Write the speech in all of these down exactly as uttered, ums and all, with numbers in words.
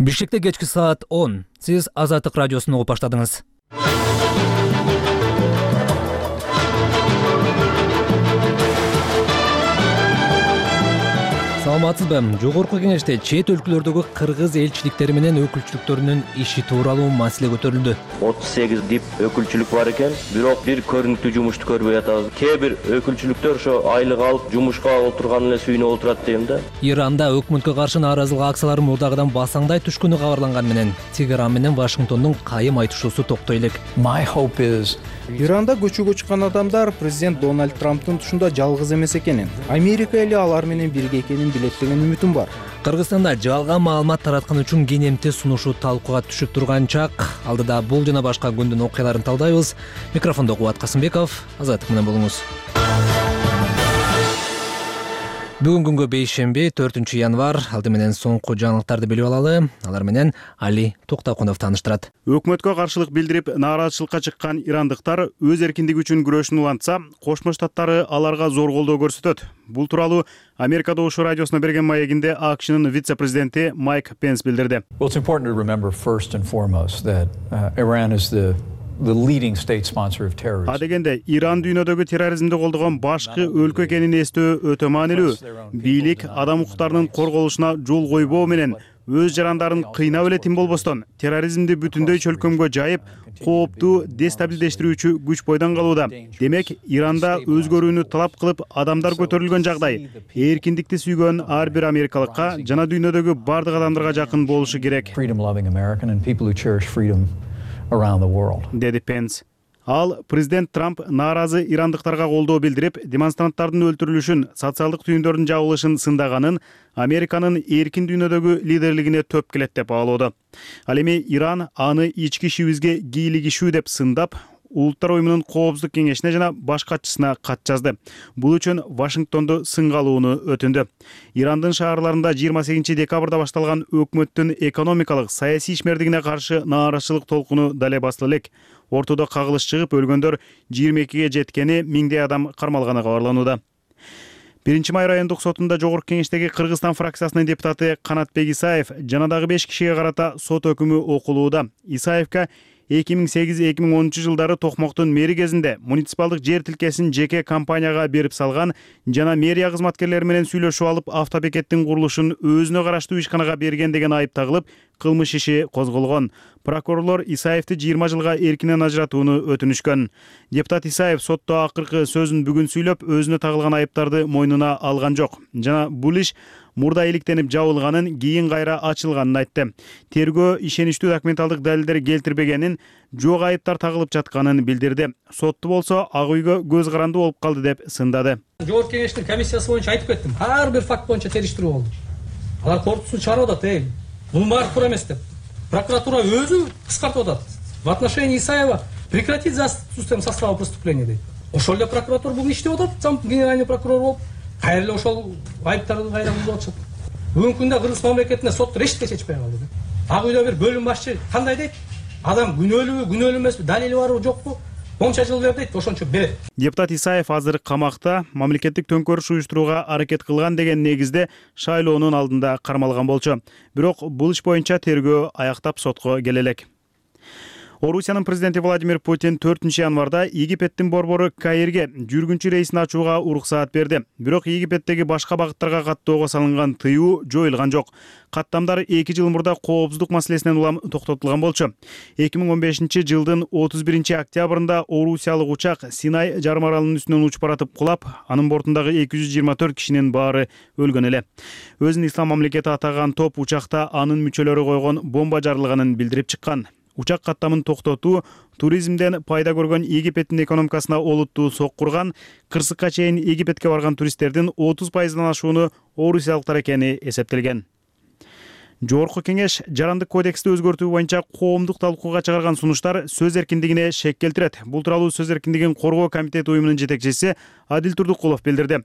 Бишкекте кечки саат он. Сиз Азаттык радиосун угуп баштадыңыз. Саламатсызбы? Жогорку кеңеште чет өлкөлөрдөгү кыргыз элчиликтери менен өкүлчүлүктөрүнүн иши тууралуу маселе көтөрүлдү. отуз сегиз дип өкүлчүлүк бар экен, бирок бир көрүнүктүү жумушту көрбөй атабыз. Кээ бир өкүлчүлүктөр ошо айлык алып жумушка отурган эле сүйүнүп отурат дейм да. Иранда өкмөткө каршы нааразылык акциялары мурдагыдан басаңдай түшкөнү кабарланган менен Тегеран менен Вашингтондун кайым айтышуусу токтой элек. My hope is Иранда көчөгө чыккан адамдар президент Дональд Трамптын тушунда жалгыз эмес экенин, Америка эли алар менен бирге экенин билет деген үмүтүм бар. Кыргызстанда жалган маалымат тараткан үчүн кенемти сунушу талкууга түшүп турган чак. Алдыда бул жана башка күндүн окуяларын талдайбыз. Микрофондо Кубат Касымбеков, Азаттык менен болуңуз. Бүгүн күнгө бейшемби, төртүнчү январь. Алды менен соңку жаңылыктарды билип алалы. Алар менен Али Токтакунов тааныштырат. Өкмөткө каршылык билдирип, нааразычылыкка чыккан ирандыктар өз эркиндиги үчүн күрөшүн улантса, Кошмо Штаттары аларга зор колдоо көрсөтөт. Бул тууралуу Америка Добушу радиосуна берген маегинде АКШнын вице-президенти Майк Пенс билдирди. Well, it's important to remember first and foremost that uh, Iran is the the leading state sponsor of terrorism. А дегенде Иран дүйнөдөгү терроризмди колдогон башкы өлкө экенин эстөө өтө маанилүү. Бийлик адам укуктарынын корголушуна жол койбоо менен өз жарандарын кыйнап эле тим болбостон терроризмди бүтүндөй чөлкөмгө жайып, кооптуу дестабилдештирүүчү күч бойдон калууда. Демек, Иранда өзгөрүүнү талап кылып адамдар көтөрүлгөн жагдай эркиндикти сүйгөн ар бир америкалыкка жана дүйнөдөгү бардык адамдарга жакын болушу керек. Freedom loving American and people who cherish freedom around the world. Деди Пенс. Ал президент Трамп нааразы ирандыктарга колдоо билдирип, демонстранттардын өлтүрүлүшүн, социалдык түйүндөрдүн жабылышын сындаганын Американын эркин дүйнөдөгү лидерлигине төп келет деп баалоодо. Ал эми Иран аны ички ишибизге кийлигишүү деп сындап, Улуттар уюмунун коопсуздук кеңешине жана баш катчысына кат жазды. Бул үчүн Вашингтонду сынга алууну өтүндү. Ирандын шаарларында жыйырма сегизинчи декабрда башталган өкмөттүн экономикалык, саясий ишмердигине каршы нааразычылык толкуну дале басылы элек. Ортодо кагылыш чыгып, өлгөндөр жыйырма экиге жеткени, миңдей адам кармалганы кабарланууда. биринчи май райондук сотунда жогорку кеңештеги Кыргызстан фракциясынын депутаты Канатбек Исаев жана дагы беш кишиге карата сот өкүмү окулууда. Исаевка эки миң сегиз эки миң онунчу жылдары Токмоктун мэри кезинде муниципалдык жер тилкесин жеке компанияга берип салган жана мэрия кызматкерлери менен сүйлөшүп алып, автобекеттин курулушун өзүнө караштуу ишканага берген деген айып тагылып, кылмыш иши козголгон. Прокурорлор Исаевди жыйырма жылга эркинен ажыратууну өтүнүшкөн. Депутат Исаев сотто акыркы сөзүн бүгүн сүйлөп, өзүнө тагылган айыптарды мойнуна алган жок. Жана бул иш мурда иликтенип жабылганын, кийин кайра ачылганын айтты. Тергөө ишеничтүү документалдык далилдер келтирбегенин, жок айыптар тагылып жатканын билдирди. Сотту болсо ак үйгө көз каранды болуп калды деп сындады. Жогорку кеңештин комиссиясы боюнча айтып кеттим. Ар бир факт боюнча териштирүү болду. Алар кортусун чыгарып атат, эй, бул баары туура эмес деп. Прокуратура өзү кыскартып атат. В отношении Исаева прекратить за отсутствием состава преступления дейт. Ошол эле прокуратура бүгүн иштеп атат, зам генеральный прокурор болуп, кайра эле ошол айыптарды кайра бузуп атышат. Бүгүнкү күндө Кыргыз мамлекетинде сот рештке чечпей калды. Ак үйдө бир бөлүм башчы кандай дейт? Адам күнөөлүүбү, күнөөлүү эмеспи, далили барбы, жокпу? Онча жыл бер дейт, ошончо берет. Депутат Исаев азыр камакта, мамлекеттик төңкөрүш уюштурууга аракет кылган деген негизде шайлоонун алдында кармалган болчу. Бирок бул иш боюнча тергөө аяктап сотко келе элек. Орусиянын президенти Владимир Путин төртүнчү январда Египеттин борбору Каирге жүргүнчү рейсин ачууга уруксаат берди. Бирок Египеттеги башка багыттарга каттоого салынган тыюу жоюлган жок. Каттамдар эки жыл мурда коопсуздук маселесинен улам токтотулган болчу. эки миң он бешинчи жылдын отуз биринчи октябрында Орусиялык учак Синай жарым аралынын үстүнөн учуп баратып кулап, анын бортундагы эки жүз жыйырма төрт кишинин баары өлгөн эле. Өзүн ислам мамлекети атаган топ учакта анын мүчөлөрү койгон бомба жарылганын билдирип чыккан. Учак каттамын токтотуу туризмден пайда көргөн Египеттин экономикасына олуттуу соккурган, кырсыкка чейин Египетке барган туристтердин отуз пайыздан ашууну орусиялыктар экени эсептелген. Жогорку кеңеш жарандык кодексти өзгөртүү боюнча коомдук талкууга чыгарган сунуштар сөз эркиндигине шек келтирет. Бул тууралуу сөз эркиндигин коргоо комитети уюмунун жетекчиси Адил Турдукулов билдирди.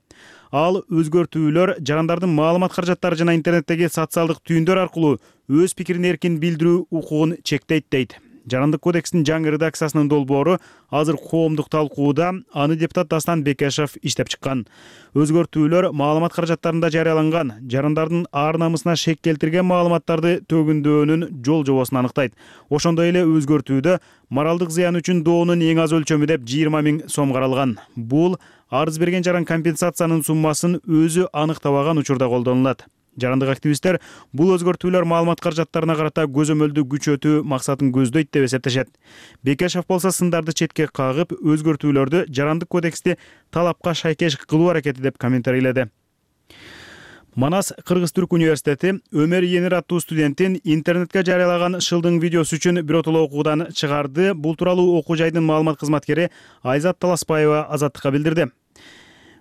Ал өзгөртүүлөр жарандардын маалымат каражаттары жана интернеттеги социалдык түйүндөр аркылуу өз пикирин эркин билдирүү укугун чектейт дейт. Жарандык кодекстин жаңы редакциясынын долбоору азыр коомдук талкууда, аны депутат Дастан Бекешев иштеп чыккан. Өзгөртүүлөр маалымат каражаттарында жарыяланган, жарандардын ар намысына шек келтирген маалыматтарды төгүндөөнүн жол жобосун аныктайт. Ошондой эле өзгөртүүдө моралдык зыян үчүн доонун эң аз өлчөмү деп жыйырма миң сом каралган. Бул арыз берген жаран компенсациянын суммасын өзү аныктабаган учурда колдонулат. Жарандык активисттер бул өзгөртүүлөр маалымат каражаттарына карата көзөмөлдү күчөтүү максатын көздөйт деп эсептешет. Бекешев болсо сындарды четке кагып, өзгөртүүлөрдү жарандык кодексти талапка шайкеш кылуу аракети деп комментарийледи. Манас Кыргыз-Түрк университети Өмөр Енир аттуу студентин интернетке жарыялаган шылдың видеосу үчүн биротоло окуудан чыгарды. Бул тууралуу окуу жайдын маалымат кызматкери Айзат Таласпаева Азаттыкка билдирди.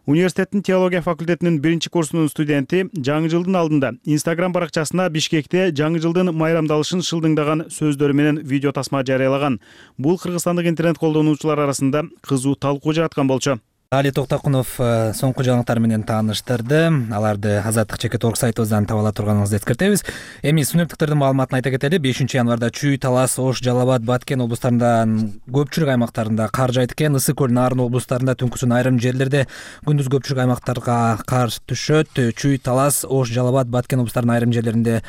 Университеттин теология факультетинин биринчи курсунун студенти жаңы жылдын алдында Instagram баракчасына Бишкекте жаңы жылдын майрамдалышын шылдыңдаган сөздөрү менен видео тасма жарыялаган. Бул кыргызстандык интернет колдонуучулар арасында кызуу талкуу жараткан болчу. Али Токтокунов соңку жаңылыктар менен тааныштырды. Аларды Азаттык чекит орг сайтыбыздан таба ала турганыңызды эскертебиз. Эми синоптиктердин маалыматын айта кетели. бешинчи январда Чүй, Талас, Ош, Жалал Абад, Баткен облустарында көпчүлүк аймактарында кар жайт экен. Ысык көл, Нарын облустарында түнкүсүн айрым жерлерде, күндүз көпчүлүк аймактарга кар түшөт. Чүй, Талас, Ош, Жалал Абад, Баткен облустарынын айрым жерлеринде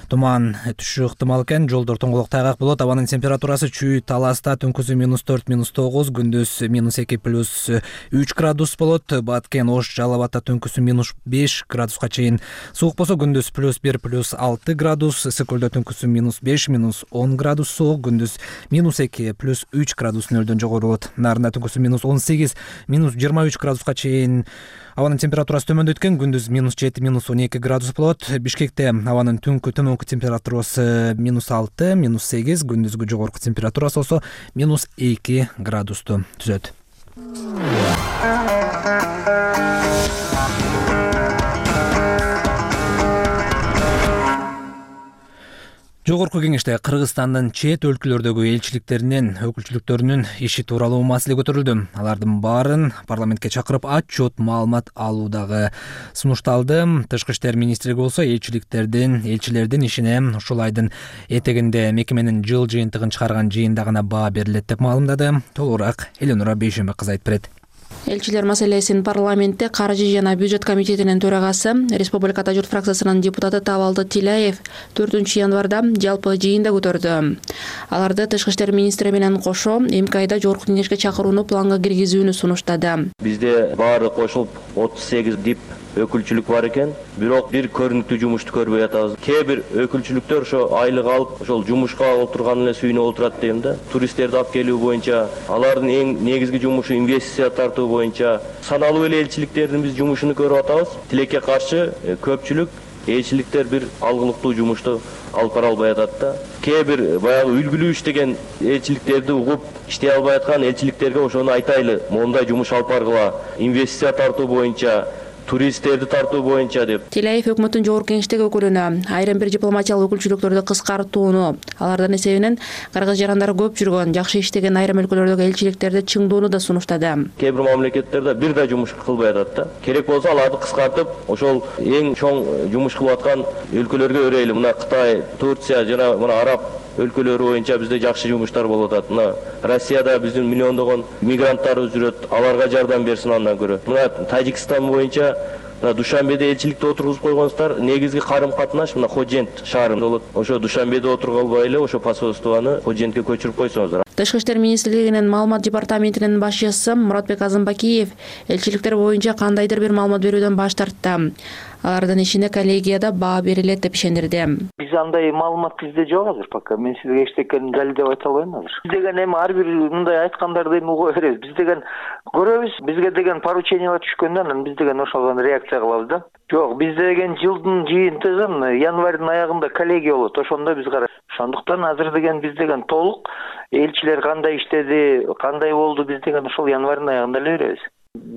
туман түшүшү ыктымал экен. Жолдор тоңголок тайгак болот. Абанын температурасы Чүй, Таласта түнкүсү минус төрт, минус тогуз, күндүз минус эки, плюс үч градус болот. Баткен, Ош, Жалал Абадта түнкүсү минус беш градуска чейин суук болсо, күндүз плюс бир, плюс алты градус. Ысык көлдө түнкүсү минус беш, минус он градус суук, күндүз минус эки, плюс үч градус нөлдөн жогору болот. Нарында түнкүсү минус он сегиз, минус жыйырма үч градуска чейин абанын температурасы төмөндөйт экен. Күндүз минус жети, минус он эки градус болот. Бишкекте абанын түнкү төмөнкү температурасы минус алты, минус сегиз, күндүзгү жогорку температурасы болсо минус эки градусту түзөт. Жогорку кеңеште Кыргызстандын чет өлкөлөрдөгү элчиликтеринин өкүлчүлүктөрүнүн иши тууралуу маселе көтөрүлдү. Алардын баарын парламентке чакырып отчет маалымат алуудагы сунушталды. Тышкы иштер министрлиги болсо элчиликтердин, элчилердин ишине ушул айдын этегинде мекеменин жыл жыйынтыгын чыгарган жыйында гана баа берилет деп маалымдады. Толугураак Эленура Бейшембек кызы айтып берет. Элчилер маселесин парламентте каржы жана бюджет комитетинин төрагасы, Республикада журт фракциясынын депутаты Табалды Тилаев төртүнчү январда жалпы жыйында көтөрдү. Аларды тышкы иштер министри менен кошо эмки айда жогорку кеңешке чакырууну планга киргизүүнү сунуштады. Бизде баары кошулуп отуз сегиз дип өкүлчүлүк бар экен. Бирок бир көрүнүктүү жумушту көрбөй атабыз. Кээ бир өкүлчүлүктөр ошо айлык алып, ошол жумушка отурган эле сүйүнүп отурат дейм да. Туристтерди алып келүү боюнча, алардын эң негизги жумушу инвестиция тартуу боюнча саналуу эле элчиликтердин биз жумушун көрүп атабыз. Тилекке каршы көпчүлүк элчиликтер бир алгылыктуу жумушту алып бара албай атат да. Кээ бир баягы үлгүлүү иштеген элчиликтерди угуп иштей албай аткан элчиликтерге ошону айтайлы, моундай жумуш алып баргыла, инвестиция тартуу боюнча, туристтерди тартуу боюнча деп. Тилаев өкмөттүн жогорку кеңештеги өкүлүнө айрым бир дипломатиялык өкүлчүлүктөрдү кыскартууну, алардын эсебинен кыргыз жарандары көп жүргөн, жакшы иштеген айрым өлкөлөрдөгү элчиликтерди чыңдоону да сунуштады. Кээ бир мамлекеттерде бир да жумуш кылбай атат да. Керек болсо аларды кыскартып, ошол эң чоң жумуш кылып аткан өлкөлөргө өрөйлү. Мына Кытай, Турция жана мына араб өлкөлөрү боюнча бизде жакшы жумуштар болуп атат. Мына Россияда биздин миллиондогон мигранттарыбыз жүрөт, аларга жардам берсин андан көрө. Мына Тажикстан боюнча Душанбеде элчиликте отургузуп койгонсуздар, негизги карым катнаш мына Ходжент шаарында болот. Ошо Душанбеде отургуп албай эле ошо посольствону Ходжентке көчүрүп койсоңуздар. Тышкы иштер министрлигинин маалымат департаментинин башчысы Муратбек Азымбакиев элчиликтер боюнча кандайдыр бир маалымат берүүдөн баш тартты. Алардын ишине коллегияда баа берилет деп ишендирди. Биз андай маалымат бизде жок азыр пока. Мен сизге эчтекени далилдеп айта албайм азыр. Биз деген эми ар бир мындай айткандарды эми уга беребиз. Биз деген көрөбүз, бизге деген поручениялар түшкөндө анан биз деген ошого реакция кылабыз да. Жок, бизде деген жылдын жыйынтыгын январдын аягында коллегия болот. Ошондо биз карайбыз. Ошондуктан азыр деген биз деген толук элчилер кандай иштеди, кандай болду, биз деген ошол январдын аягында эле беребиз.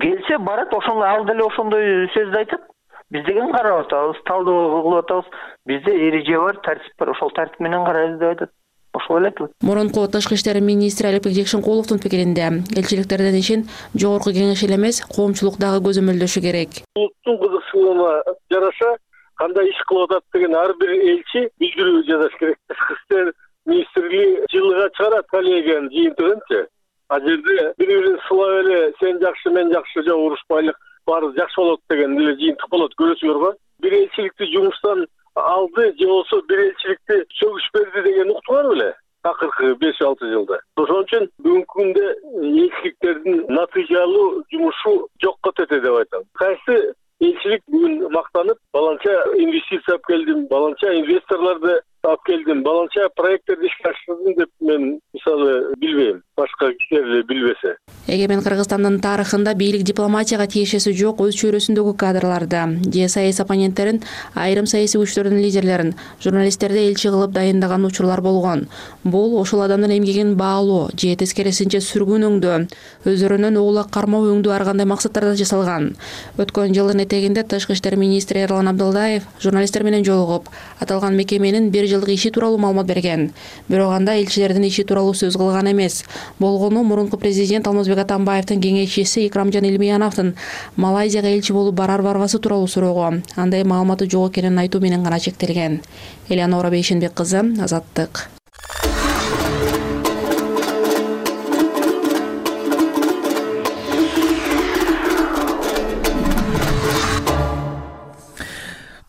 Келсе барат, ошондо ал деле ошондой сөздү айтат. Биз деген карап атабыз, талдоо кылып атабыз. Бизде эреже бар, тартип бар, ошол тартип менен карайбыз деп айтат. Ошол эле айтылат. Мурунку тышкы иштер министри Алипбек Жекшенкуловдун пикиринде, элчиликтердин ишин жогорку кеңеш эле эмес, коомчулук дагы көзөмөлдөшү керек. Улуттун кызыкчылыгына жараша кандай иш кылып атат деген ар бир элчи билдирүү жасаш керек. Тышкы иштер министрлиги жылга чыгарат. деген жыйынтыгынчы. А жерде бири бирин сылап эле сен жакшы мен жакшы жок урушпайлык баары жакшы болот деген эле жыйынтык болот көрөсүңөр го. Бир элчиликти жумуштан алды же болбосо бир элчиликти сөгүш берди деген уктуңар беле акыркы беш алты жылда. Ошон үчүн бүгүнкү күндө элчиликтердин натыйжалуу жумушу жокко тете деп айтам. Кайсы элчилик бүгүн мактанып, баланча инвестиция алып келдим, баланча инвесторлорду алып келдим, баланча проекттерди ишке ашырдым деп мен мисалы билбейм. Башка кишилер эле билбесе. Эгемен Кыргызстандын тарыхында бийлик дипломатияга тиешеси жок өз чөйрөсүндөгү кадрларды, же саясий оппоненттерин, айрым саясий күчтөрдүн лидерлерин, журналисттерди элчи кылып дайындаган учурлар болгон. Бул ошол адамдын эмгегин баалоо же тескерисинче сүргүн өңдөө, өздөрүнөн уулак кармоо өңдөө ар кандай максаттарда жасалган. Өткөн жылдын этегинде Тышкы иштер министри Эрлан Абдылдаев журналисттер менен жолугуп, аталган мекеменин бир жылдык иши тууралуу маалымат берген. Бирок анда элчилердин иши тууралуу сөз кылган эмес. Болгону мурунку президент Алмазбек Атамбаевдин кеңешчиси Икрамжан Илмияновдун Малайзияга элчи болуп барар барбасы тууралуу суроого андай маалыматы жок экенин айтуу менен гана чектелген. Элеонора Бейшенбек кызы, Азаттык.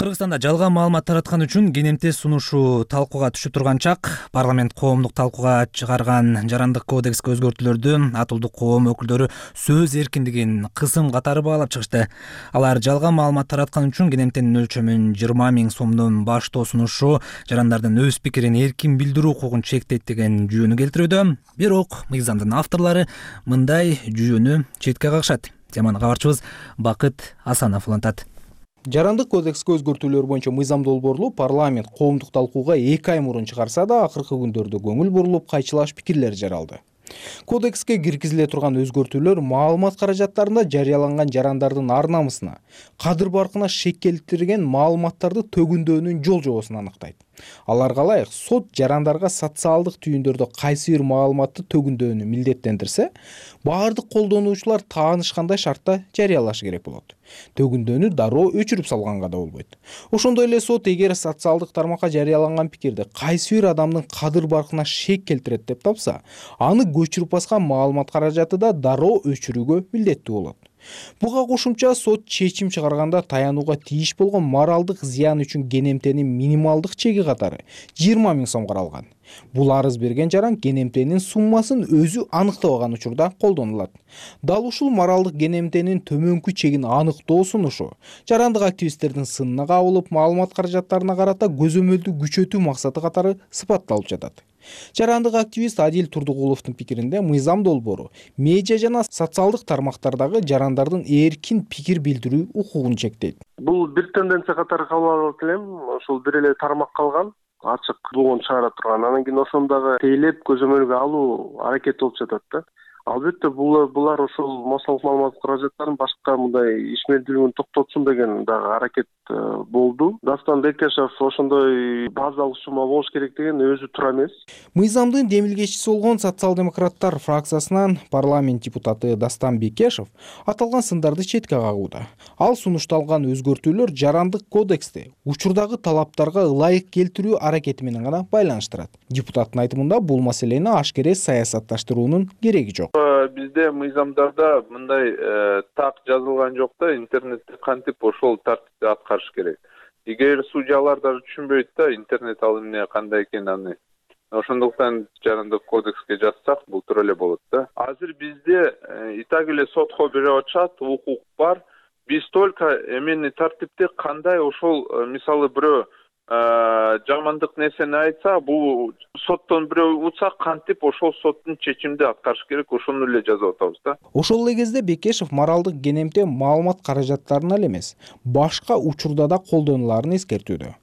Кыргызстанда жалган маалымат тараткан үчүн кенемте сунушу талкууга түшүп турган чак парламент коомдук талкууга чыгарган жарандык кодекске өзгөртүүлөрдү атылдык коом өкүлдөрү сөз эркиндигин кысым катары баалап чыгышты. Алар жалган маалымат тараткан үчүн кенемтенин өлчөмүн жыйырма миң сомдон баштоо сунушу жарандардын өз пикирин эркин билдирүү укугун чектейт деген жүйөнү келтирүүдө. Бирок мыйзамдын авторлору мындай жүйөнү четке кагышат. Теманы кабарчыбыз Бакыт Асанов улантат. Жарандык кодекске өзгөртүүлөр боюнча мыйзам долбоорлу парламент коомдук талкууга эки ай мурун чыгарса да, акыркы күндөрдө көңүл бурулуп кайчылаш пикирлер жаралды. Кодекске киргизиле турган өзгөртүүлөр маалымат каражаттарында жарыяланган жарандардын ар намысына, кадыр баркына шек келтирген маалыматтарды төгүндөөнүн жол жобосун аныктайт. Аларга ылайык сот жарандарга социалдык түйүндөрдө кайсы бир маалыматты төгүндөөнү милдеттендирсе, баардык колдонуучулар таанышкандай шартта жарыялашы керек болот. Төгүндөөнү дароо өчүрүп салганга да болбойт. Ошондой эле сот эгер социалдык тармакка жарыяланган пикирди кайсы бир адамдын кадыр баркына шек келтирет деп тапса, аны көчүрүп баскан маалымат каражаты да дароо өчүрүүгө милдеттүү болот. Буга кошумча сот чечим чыгарганда таянууга тийиш болгон моралдык зыян үчүн кенемтенин минималдык чеги катары жыйырма миң сом каралган. Бул арыз берген жаран кенемтенин суммасын өзү аныктабаган учурда колдонулат. Дал ушул моралдык кенемтенин төмөнкү чегин аныктоо сунушу жарандык активисттердин сынына кабылып, маалымат каражаттарына карата көзөмөлдү күчөтүү максаты катары сыпатталып жатат. Жарандык активист Адил Турдугуловдун пикиринде мыйзам долбоору медиа жана социалдык тармактардагы жарандардын эркин пикир билдирүү укугун чектейт. Бул бир тенденция катары кабыл алып элем. Ошол бир эле тармак калган, ачык болгон чыгара турган. Анан кийин ошондагы тейлеп көзөмөлгө алуу аракети болуп жатат да. Албетте булар булар ошол массалык маалымат каражаттарын башка мындай ишмердүүлүгүн токтотсун деген дагы аракет болду. Дастан Бекешев ошондой базалык сумма болуш керек деген өзү туура эмес. Мыйзамдын демилгечиси болгон социал-демократтар фракциясынан парламент депутаты Дастан Бекешев аталган сындарды четке кагууда. Ал сунушталган өзгөртүүлөр жарандык кодексти учурдагы талаптарга ылайык келтирүү аракети менен гана байланыштырат. Депутаттын айтымында бул маселени ашкере саясатташтыруунун кереги жок. Бизде мыйзамдарда мындай так жазылган жок да, интернетти кантип ошол тартипте аткарыш керек. Эгер судьялар да түшүнбөйт да интернет ал эмне кандай экенин аны. Ошондуктан жарандык кодекске жазсак бул туура эле болот да. Азыр бизде и так эле сотко берип атышат, укук бар. Биз только эмени тартипте кандай ошол мисалы бирөө жамандык нерсени айтса, бул соттон бирөө утса кантип ошол соттун чечимди аткарыш керек, ошону эле жазып атабыз да. Ошол эле кезде Бекешев моралдык кенемте маалымат каражаттарына эле эмес, башка учурда да колдонуларын эскертүүдө.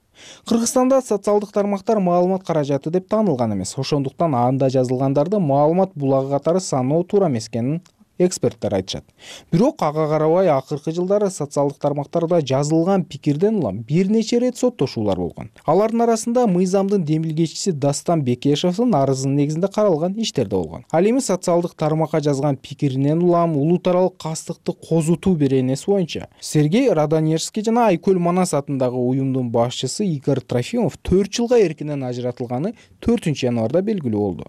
Кыргызстанда социалдык тармактар маалымат каражаты деп таанылган эмес. Ошондуктан анда жазылгандарды маалымат булагы катары саноо туура эмес экенин эксперттер айтышат. Бирок ага карабай акыркы жылдары социалдык тармактарда жазылган пикирден улам бир нече ирет соттошуулар болгон. Алардын арасында мыйзамдын демилгечиси Дастан Бекешевдин арызынын негизинде каралган иштер да болгон. Ал эми социалдык тармакка жазган пикиринен улам улут аралык кастыкты козутуу беренеси боюнча Сергей Раданежский жана Айкөл Манас атындагы уюмдун башчысы Игорь Трофимов төрт жылга эркинен ажыратылганы төртүнчү январда белгилүү болду.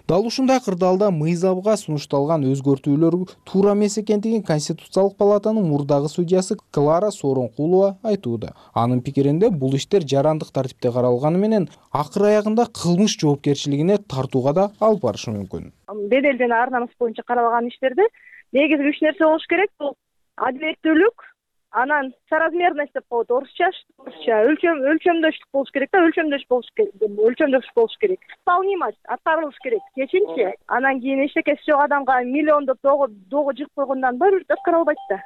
Дал ушундай кырдаалда мыйзамга сунушталган өзгөртүүлөр туура эмес экендигин Конституциялык палатанын мурдагы судьясы Клара Сооронкулова айтууда. Анын пикиринде бул иштер жарандык тартипте каралганы менен акыр аягында кылмыш жоопкерчилигине тартууга да алып барышы мүмкүн. Бедел жана ар намыс боюнча каралган иштерде негизги үч нерсе болуш керек. Бул адилеттүүлүк, анан соразмерность деп коет орусча, орусча өлчөм өлчөмдөштүк болуш керек да, өлчөмдөш болуш керек, өлчөмдөш болуш керек. Исполнимость аткарылыш керек. Кечинчи, анан кийин эчтекеси жок адамга миллиондоп догу догу жыгып койгондон баары бир аткарылбайт да.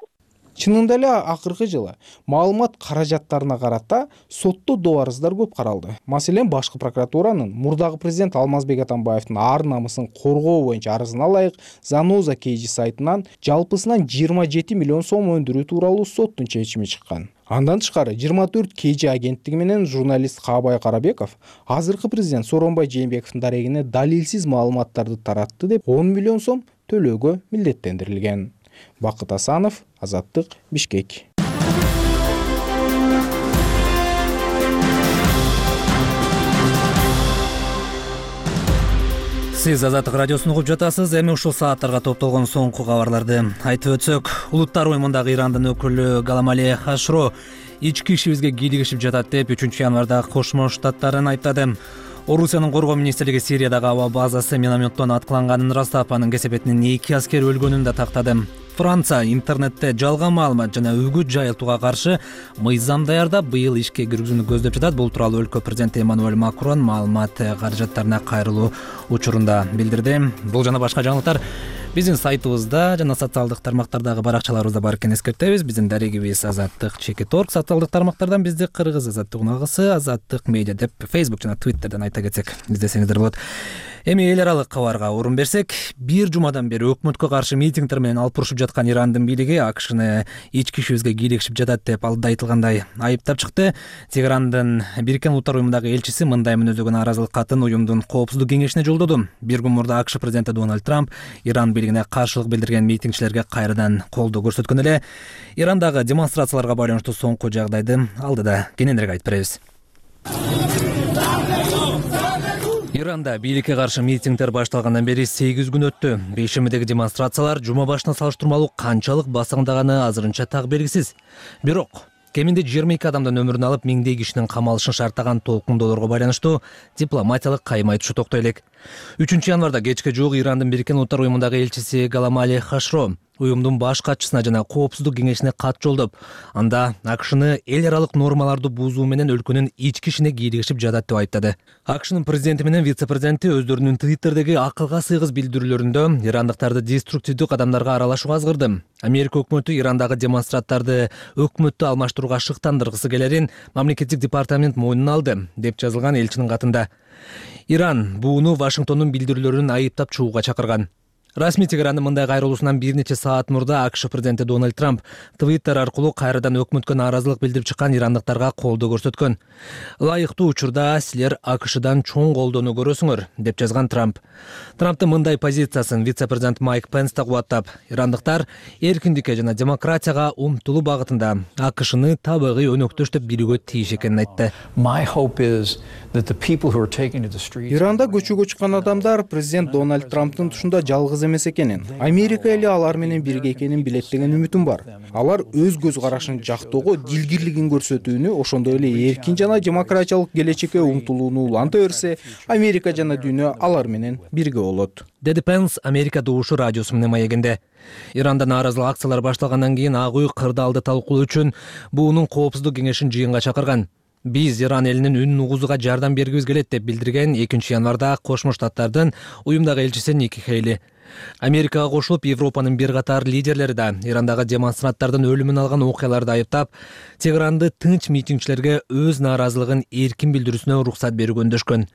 Чынында эле акыркы жылы маалымат каражаттарына карата сотто доо арыздар көп каралды. Маселен, башкы прокуратуранын мурдагы президент Алмазбек Атамбаевдин ар намысын коргоо боюнча арызына ылайык Заноза Кейжи сайтынан жалпысынан жыйырма жети миллион сом өндүрүү тууралуу соттун чечими чыккан. Андан тышкары жыйырма төрт Кейжи агенттиги менен журналист Каабай Карабеков азыркы президент Сооронбай Жээнбековдун дарегине далилсиз маалыматтарды таратты деп он миллион сом төлөөгө милдеттендирилген. Бакыт Асанов, Азаттык, Бишкек. Сиз Азаттык радиосун угуп жатасыз. Эми ушул сааттарга топтолгон соңку кабарларды айтып өтсөк, улуттар уюмундагы Ирандын өкүлү Галамали Хашро ички ишибизге кийлигишип жатат деп үчүнчү январда Кошмо Штаттарын айттады. Орусиянын коргоо министрлиги Сириядагы аба базасы минометтон аткыланганын ырастап, анын кесепетинен эки аскер өлгөнүн да тактады. Франция интернетте жалган маалымат жана үгүт жайылтууга каршы мыйзам даярдап, быйыл ишке киргизүүнү көздөп жатат. Бул тууралуу өлкө президенти Эммануэль Макрон маалымат каражаттарына кайрылуу учурунда билдирди. Бул жана башка жаңылыктар биздин сайтыбызда жана социалдык тармактардагы баракчаларыбызда бар экенин эскертебиз. Биздин дарегибиз Азаттык чекит точка орг, социалдык тармактардан бизди кыргыз Азаттык унагысы, Азаттык медиа деп Facebook жана Twitterден айта кетсек издесеңиздер болот. Эми эл аралык кабарга орун берсек, бир жумадан бери өкмөткө каршы митингдер менен алып урушуп жаткан Ирандын бийлиги АКШны ички ишибизге кийлигишип жатат деп алдыда айтылгандай айыптап чыкты. Тегерандын Бириккен Улуттар уюмундагы элчиси мындай мүнөздөгөн нааразылык катын уюмдун коопсуздук кеңешине жолдоду. Бир күн мурда АКШ президенти Дональд Трамп Иран бийлигине каршылык билдирген митингчилерге кайрадан колдоо көрсөткөн эле. Ирандагы демонстрацияларга байланыштуу соңку жагдайды алдыда кененирээк айтып беребиз. Иранда бийликке каршы митингдер башталгандан бери сегиз күн өттү. Бейшембидеги демонстрациялар жума башына салыштырмалуу канчалык басыңдаганы азырынча так белгисиз. Бирок кеминде жыйырма эки адамдын өмүрүн алып, миңдей кишинин камалышын шарттаган толкундоолорго байланыштуу дипломатиялык кайым айтышы токтой элек. үчүнчү январда кечке жуук Ирандын Бириккен Улуттар уюмундагы элчиси Галамали Хашро уюмдун баш катчысына жана коопсуздук кеңешине кат жолдоп, анда АКШны эл аралык нормаларды бузуу менен өлкөнүн ички ишине кийлигишип жатат деп айыптады. АКШнын президенти менен вице-президенти өздөрүнүн Твиттердеги акылга сыйгыз билдирүүлөрүндө ирандыктарды деструктивдүү кадамдарга аралашууга азгырды. Америка өкмөтү Ирандагы демонстранттарды өкмөттү алмаштырууга шыктандыргысы келерин мамлекеттик департамент мойнуна алды деп жазылган элчинин катында. Иран буну Вашингтондун билдирүүлөрүн айыптап чыгууга чакырган. Расмий Тегерандын мындай кайрылуусунан бир нече саат мурда АКШ президенти Дональд Трамп Твиттер аркылуу кайрадан өкмөткө нааразылык билдирип чыккан ирандыктарга колдоо көрсөткөн. Ылайыктуу учурда силер АКШдан чоң колдоону көрөсүңөр деп жазган Трамп. Трамптын мындай позициясын вице-президент Майк Пенс да кубаттап, ирандыктар эркиндикке жана демократияга умтулуу багытында АКШны табигый өнөктөш деп билүүгө тийиш экенин айтты. Иранда көчөгө чыккан адамдар президент Дональд Трамптын тушунда жалгыз эмес экенин, Америка эли алар менен бирге экенин билет деген үмүтүм бар. Алар өз көз карашын жактоого дилгирлигин көрсөтүүнү, ошондой эле эркин жана демократиялык келечекке умтулууну уланта берсе, Америка жана дүйнө алар менен бирге болот, деди Пенс Америка добушу радиосу менен маегинде. Иранда нааразылык акциялар башталгандан кийин Ак үй кырдаалды талкуулоо үчүн буунун коопсуздук кеңешин жыйынга чакырган. Биз Иран элинин үнүн угузууга жардам бергибиз келет деп билдирген экинчи январда Кошмо Штаттардын уюмдагы элчиси Ники Хейли. Америкага кошулуп, Европанын бир катар лидерлери да Ирандагы демонстранттардын өлүмүн алган окуяларды айыптап, Тегеранды тынч митингчилерге өз нааразылыгын эркин билдирүүсүнө уруксат берүүгө өндөшкөн.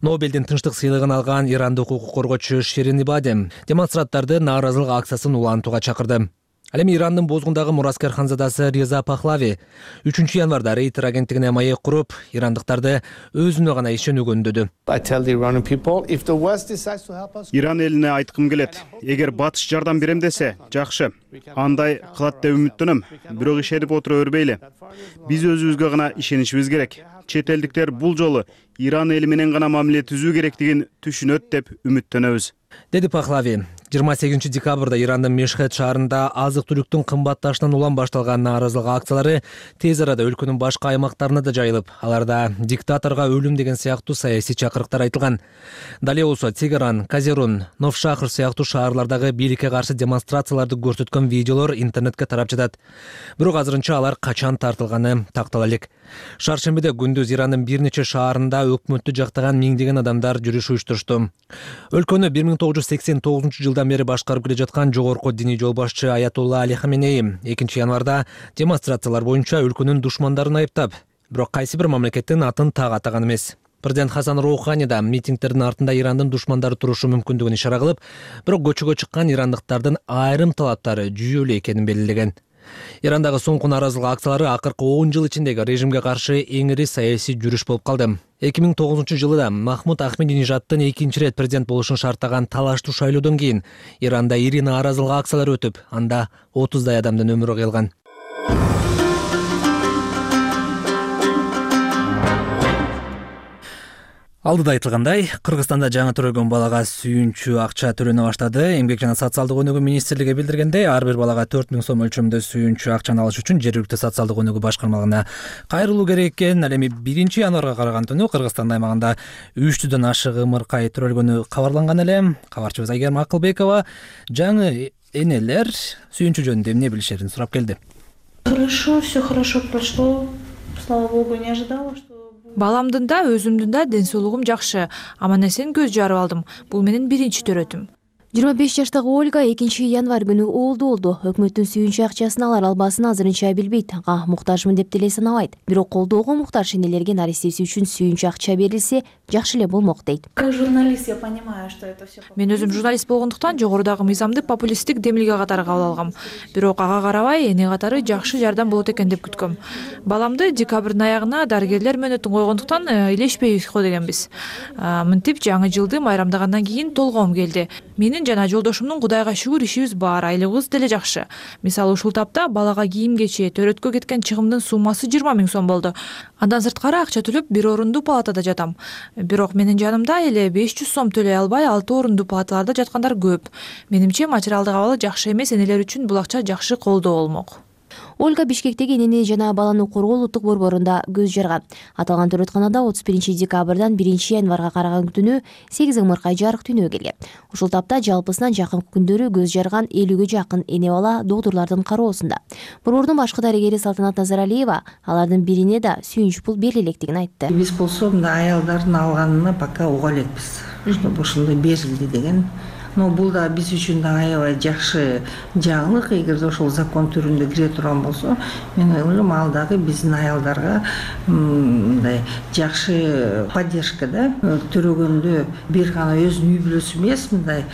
Нобелдин тынчтык сыйлыгын алган ирандык укук коргоочу Ширин Ибади демонстранттарды нааразылык акциясын улантууга чакырды. Ал эми Ирандын бозгундагы мураскер ханзадасы Реза Пахлави үчүнчү январда Рейтер агенттигине маек куруп, ирандыктарды өзүнө гана ишенүүгө үндөдү. Иран элине айткым келет, эгер батыш жардам берем десе, жакшы. Андай кылат деп үмүттөнөм, бирок ишенип отура бербейли. Биз өзүбүзгө гана ишенишибиз керек. Чет элдиктер бул жолу Иран эли менен гана мамиле түзүү керектигин түшүнөт деп үмүттөнөбүз, деди Пахлави. жыйырма сегизинчи декабрда Ирандын Мешхед шаарында азык-түлүктүн кымбатташынан улам башталган нааразылык акциялары тез арада өлкөнүн башка аймактарына да жайылып, аларда диктаторго өлүм деген сыяктуу саясий чакырыктар айтылган. Дале болсо Тегеран, Казерун, Новшахр сыяктуу шаарлардагы бийликке каршы демонстрацияларды көрсөткөн видеолор интернетке тарап жатат. Бирок азырынча алар качан тартылганы тактала элек. Шаршембиде күндүз Ирандын бир нече шаарында өкмөттү жактаган миңдеген адамдар жүрүш уюштурушту. Өлкөнү бир миң тогуз жүз сексен тогузунчу жылдан бери башкарып келе жаткан жогорку диний жол башчы Аятолла Али Хаменеи экинчи январда демонстрациялар боюнча өлкөнүн душмандарын айыптап, бирок кайсы бир мамлекеттин атын так атаган эмес. Президент Хасан Роухани да митингдердин артында Ирандын душмандары турушу мүмкүндүгүн ишара кылып, бирок көчөгө чыккан ирандыктардын айрым талаптары жүйөлүү экенин белгилеген. Ирандагы соңку нааразылык акциялары акыркы он жыл ичиндеги режимге каршы эң ири саясий жүрүш болуп калды. эки миң тогузунчу жылы да Махмуд Ахмединежаддын экинчи ирет президент болушун шарттаган талаштуу шайлоодон кийин Иранда ири нааразылык акциялары өтүп, анда отуздай адамдын өмүрү кыйылган. Алдыда айтылгандай, Кыргызстанда жаңы төрөлгөн балага сүйүнчү акча төлөнө баштады. Эмгек жана социалдык өнүгүү министрлиги билдиргендей, ар бир балага төрт миң сом өлчөмүндө сүйүнчү акчаны алыш үчүн жергиликтүү социалдык өнүгүү башкармалыгына кайрылуу керек экен. Ал эми биринчи январга караган түнү Кыргызстан аймагында үч жүздөн ашык ымыркай төрөлгөнү кабарланган эле. Кабарчыбыз Айгерим Акылбекова жаңы энелер сүйүнчү жөнүндө эмне билишерин сурап келди. Хорошо, все хорошо прошло. Слава богу, не ожидала, что Баламдын да, өзүмдүн да ден соолугум жакшы. Аман-эсен көз жарып алдым. Бул менин биринчи төрөтүм. жыйырма беш жаштагы Ольга экинчи январь күнү оолду болду. Өкмөттүн сүйүнчү акчасын алар албасын азырынча билбейт. Ага муктажмын деп деле санабайт. Бирок колдоого муктаж энелерге нарестеси үчүн сүйүнчү акча берилсе, жакшы эле болмок дейт. Как журналист я понимаю, что это все. Мен өзүм журналист болгондуктан жогорудагы мыйзамды популисттик демилге катары кабыл алгам. Бирок ага карабай эне катары жакшы жардам болот экен деп күткөм. Баламды декабрдын аягына дарыгерлер мөөнөтүн койгондуктан илешпей ко дегенбиз. Мынтип жаңы жылды майрамдагандан кийин толгоом келди. Менин жана жолдошумдун Кудайга шүгүр ишибиз бар, айлыгыбыз деле жакшы. Мисалы ушул тапта балага кийим-кече, төрөткө кеткен чыгымдын суммасы жыйырма миң сом болду. Андан сырткары акча төлөп бир орундуу палатада жатам. Бирок менин жанымда эле беш жүз сом төлөй албай алты орундуу палаталарда жаткандар көп. Менимче материалдык абалы жакшы эмес энелер үчүн бул акча жакшы колдоо болмок. Ольга Бишкектеги энени жана баланы коргоо улуттук борборунда көз жарган. Аталган төрөтканада отуз биринчи декабрдан биринчи январга караган түнү сегиз ымыркай жарык дүйнөгө келген. Ушул тапта жалпысынан жакынкы күндөрү көз жарган элүүгө жакын эне бала доктурлардын кароосунда. Борбордун башкы дарыгери Салтанат Назаралиева алардын бирине да сүйүнч пул бериле электигин айтты. Биз болсо мына аялдардын алганына пока уга элекпиз, чтобы ушундай берилди деген. Но бул да биз үчүн да аябай жакшы жаңылык. Эгерде ошол закон түрүндө кире турган болсо, мен ойлойм ал дагы биздин аялдарга мындай жакшы поддержка да. Төрөгөндө бир гана өзүнүн үй бүлөсү эмес, мындай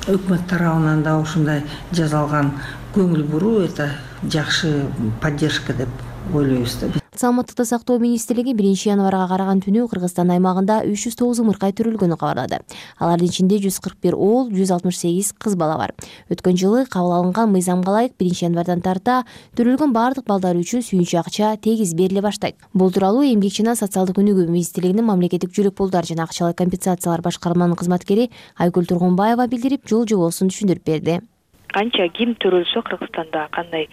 өкмөт тарабынан да ушундай жасалган көңүл буруу это жакшы поддержка деп ойлойбуз да. Саламаттыкты сактоо министрлиги биринчи январга караган түнү Кыргызстан аймагында үч жүз тогуз ымыркай төрөлгөнү кабарлады. Алардын ичинде жүз кырк бир оол, жүз алтымыш сегиз кыз бала бар. Өткөн жылы кабыл алынган мыйзамга ылайык биринчи январдан тарта төрөлгөн бардык балдар үчүн сүйүнчү акча тегиз бериле баштайт. Бул тууралуу Эмгек жана социалдык өнүгүү министрлигинин мамлекеттик жүлөк пулдар жана акчалай компенсациялар башкарманын кызматкери Айгүл Тургунбаева билдирип, жол жобосун түшүндүрүп берди. Канча ким төрөлсө Кыргызстанда кандай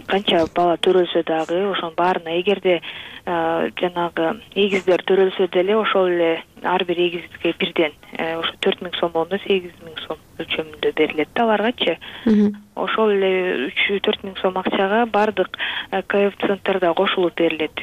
канча бала төрөлсө дагы ошонун баарына эгерде жанагы эгиздер төрөлсө деле ошол эле ар бир эгизге бирден ошо төрт миң сом болгондо сегиз миң сом өлчөмүндө берилет да аларгачы. Ошол эле үч төрт миң сом акчага бардык коэффициенттер да кошулуп берилет.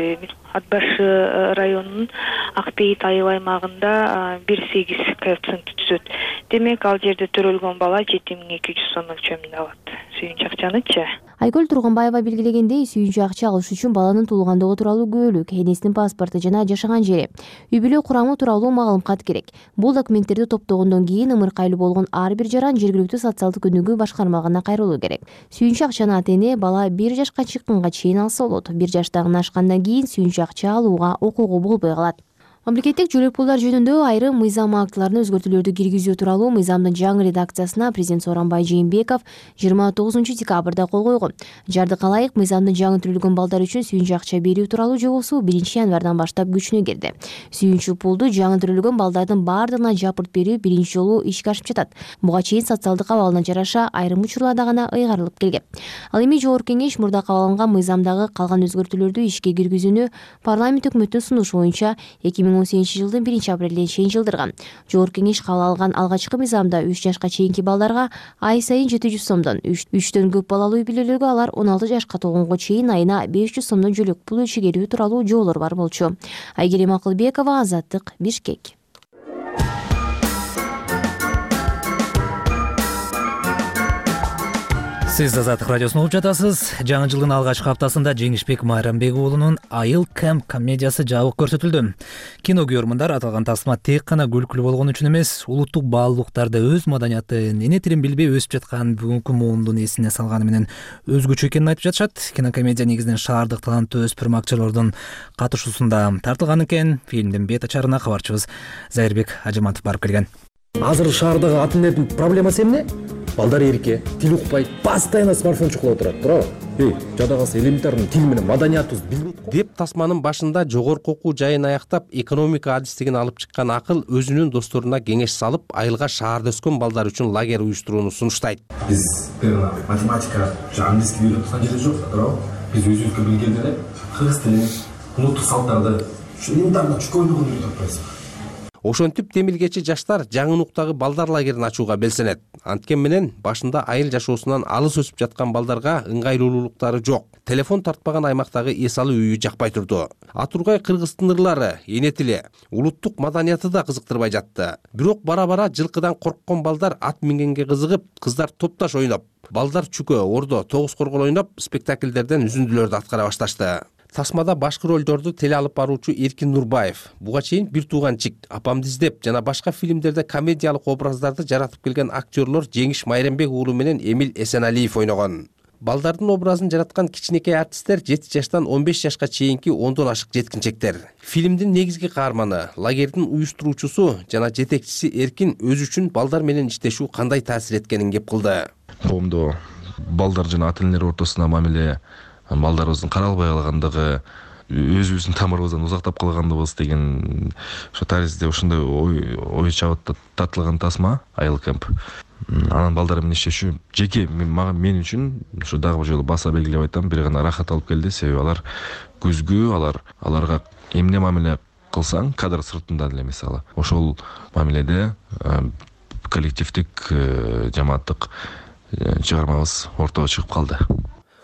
Ат башы районунун Акбейит айыл аймагында бир сегиз коэффициент түзөт. Демек ал жерде төрөлгөн бала жети миң эки жүз сом өлчөмүндө алат сүйүнчү акчанычы. Айгүл Тургунбаева белгилегендей, сүйүнчү акча алыш үчүн баланын туулгандыгы тууралуу күбөлүк, энесинин паспорту жана жашаган жери, үй бүлө курамы тууралуу маалым кат керек. Бул документтерди топтогондон кийин ымыркайлуу болгон ар бир жаран жергиликтүү социалдык өнүгүү башкармалыгына кайрылуу керек. Сүйүнчү акчаны ата эне бала бир жашка чыкканга чейин алса болот. бир жаштагын ашкандан кийин сүйүнчү акча алууга укугу болбой калат. Мамлекеттик жөлөк пулдар жөнүндө айрым мыйзам актыларына өзгөртүүлөрдү киргизүү тууралуу мыйзамдын жаңы редакциясына президент Сооронбай Жээнбеков жыйырма тогузунчу декабрда кол койгон. Жардык ылайык мыйзамдын жаңы түзүлгөн балдар үчүн сүйүнчү акча берүү тууралуу жобосу биринчи январдан баштап күчүнө кирди. Сүйүнчү пулду жаңы төрөлгөн балдардын баардыгына жапырт берүү биринчи жолу ишке ашып жатат. Буга чейин социалдык абалына жараша айрым учурларда гана ыйгарылып келген. Ал эми Жогорку Кеңеш мурда кабыл алынган мыйзамдагы калган өзгөртүүлөрдү ишке киргизүүнү парламент өкмөттүн сунушу боюнча эки миң он сегизинчи жылдын биринчи апрелине чейин жылдырган. Жогорку Кеңеш кабыл алган алгачкы мыйзамда үч жашка чейинки балдарга ай сайын жети жүз сомдон, үчтөн көп балалуу үй бүлөлөргө алар он алты жашка толгонго чейин айына беш жүз сомдон жөлөк пул ичигерүү тууралуу жоболор бар болчу. Айгерим Акылбекова, Азаттык, Бишкек. Сиз Азаттык радиосун угуп жатасыз. Жаңы жылдын алгачкы хаптасында Жеңишбек Майрамбек уулунун Айыл Кэмп комедиясы жабык көрсөтүлдү. Кино көрөрмандар аталган тасма тек гана күлкүлүү болгон үчүн эмес, улуттук баалуулуктарды, өз маданиятын, эне тилин билбей өсүп жаткан бүгүнкү муундун эсине салганы менен өзгөчө экенин айтып жатышат. Кинокомедия негизинен шаардык таланттуу өспүрүм актерлордун катышуусунда тартылган экен. Фильмдин бет ачарына кабарчыбыз Зайырбек Ажыматов барып келген. Азыр шаардагы ата энелердин проблемасы эмне? Балдар эрке, тил укпайт, постоянно смартфон чукулап турат, туурабы? Эй, жада калса элементарный тил менен маданиятыбызды билбейт го. Деп тасманын башында жогорку окуу жайын аяктап, экономика адистигин алып чыккан Акыл өзүнүн досторуна кеңеш салып, айылга шаарда өскөн балдар үчүн лагерь уюштурууну сунуштайт. Биз математика, английский үйрөнүп аткан жерде жок, туурабы? Биз өзүбүзгө билген эле кыргыз тилин, улуттук салттарды, ушу элементарный чукойнугун үйрөтүп атпайбызбы? Ошентип Темилгечи жаштар жаңы нуктагы балдар лагерин ачууга белсенет. Анткен менен башында айыл жашоосунан алыс өсүп жаткан балдарга ыңгайлуулуктары жок. Телефон тартпаган аймактагы эс алуу үйү жакпай турду. Атургай кыргыздын ырлары, эне тили, улуттук маданияты да кызыктырбай жатты. Бирок бара-бара жылкыдан корккон балдар ат мингенге кызыгып, кыздар топташ ойноп, балдар чүкө, ордо, тогуз коргол ойноп, спектакльдерден үзүндүлөрдү аткара башташты. Тасмада башкы ролдорду теле алып баруучу Эркин Нурбаев, буга чейин Бир тууганчик, Апамды издеп жана башка фильмдерде комедиялык образдарды жаратып келген актерлор Жеңиш Майрамбек уулу менен Эмил Эсеналиев ойногон. Балдардын образын жараткан кичинекей артисттер жети жаштан он беш жашка чейинки ондон ашык жеткинчектер. Фильмдин негизги каарманы, лагердин уюштуруучусу жана жетекчиси Эркин өзү үчүн балдар менен иштешүү кандай таасир эткенин кеп кылды. Коомдо балдар жана ата энелер ортосуна мамиле, балдарыбыздын каралбай калгандыгы, өзүбүздүн тамырыбыздан узактап калгандыгыбыз деген ошо таризде ушундай ой ой чабыт тартылган тасма Айыл Кэмп. Анан балдар менен иштешүү жеке мен үчүн ушу дагы бир жолу баса белгилеп айтам, бир гана рахат алып келди. Себеби алар күзгү, алар аларга эмне мамиле кылсаң, кадр сыртында деле мисалы, ошол мамиледе коллективдик, жамааттык чыгармабыз ортого чыгып калды.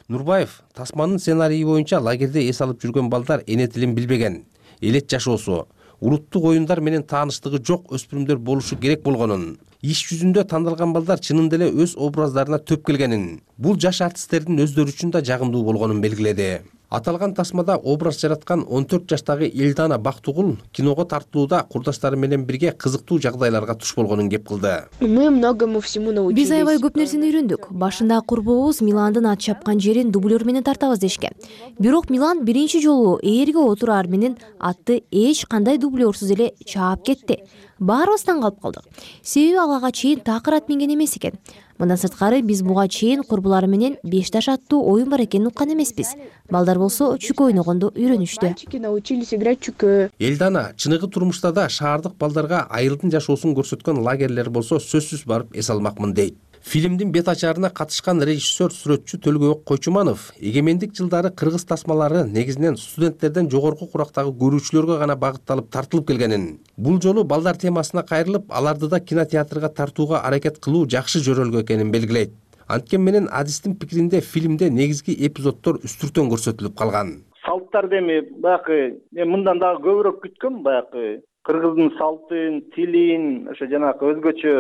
Нурбаев тасманын сценарийи боюнча лагерде эс алып жүргөн балдар эне тилин билбеген, элет жашоосу, улуттук оюндар менен тааныштыгы жок өспүрүмдөр болушу керек болгонун, иш жүзүндө тандалган балдар чынында эле өз образдарына төп келгенин, бул жаш артисттердин өздөрү үчүн да жагымдуу болгонун белгиледи. Аталган тасмада образ жараткан он төрт жаштагы Элдана Бактугул киного тартылууда курдаштары менен бирге кызыктуу жагдайларга туш болгонун кеп кылды. Мы многому всему научились. Биз аябай көп нерсени үйрөндүк. Башында курбубуз Миландын ат чапкан жерин дублер менен тартабыз дешкен. Бирок Милан биринчи жолу ээрге отураар менен атты эч кандай дублерсуз эле чаап кетти. Баарыбыз таң калып калдык. Себеби ага чейин такыр ат минген эмес экен. Мындан сырткары биз буга чейин курбулар менен беш таш аттуу оюн бар экенин уккан эмеспиз. Балдар болсо чүкө ойногонду үйрөнүштү. Научились играть чүкө. Элдана чыныгы турмушта да шаардык балдарга айылдын жашоосун көрсөткөн лагерлер болсо сөзсүз барып эс алмакмын дейт. Фильмдин бет ачарына катышкан режиссер сүрөтчү Төлгөбек Койчуманов эгемендик жылдары кыргыз тасмалары негизинен студенттерден жогорку курактагы көрүүчүлөргө гана багытталып тартылып келгенин, бул жолу балдар темасына кайрылып, аларды да кинотеатрга тартууга аракет кылуу жакшы жөрөлгө экенин белгилейт. Анткени менен адистин пикиринде фильмде негизги эпизоддор үстүртөн көрсөтүлүп калган. Салттарды эми баягы мындан дагы көбүрөөк күткөм, баягы кыргыздын салтын, тилин, ошо жанагы өзгөчө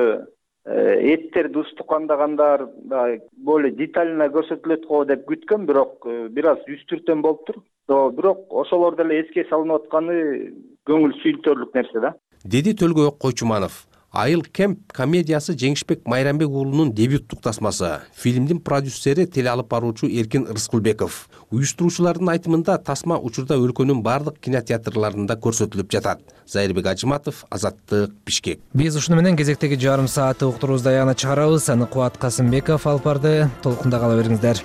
эттерди устукандагандар более детально көрсөтүлөт го деп күткөм, бирок бир аз үстүртөн болуптур. Бирок ошолор деле эске салынып атканы көңүл сүйүнтөрлүк нерсе да, деди Төлгөбек Койчуманов. Айыл Кемп комедиясы Жеңишбек Майрамбек уулунун дебюттук тасмасы. Фильмдин продюсери теле алып баруучу Эркин Рыскулбеков. Уюштуруучулардын айтымында тасма учурда өлкөнүн бардык кинотеатрларында көрсөтүлүп жатат. Зайырбек Ажыматов, Азаттык, Бишкек. Биз ушуну менен кезектеги жарым саатты уктуруубузду аягына чыгарабыз. Аны Кубат Касымбеков алып барды. Толкунда кала бериңиздер.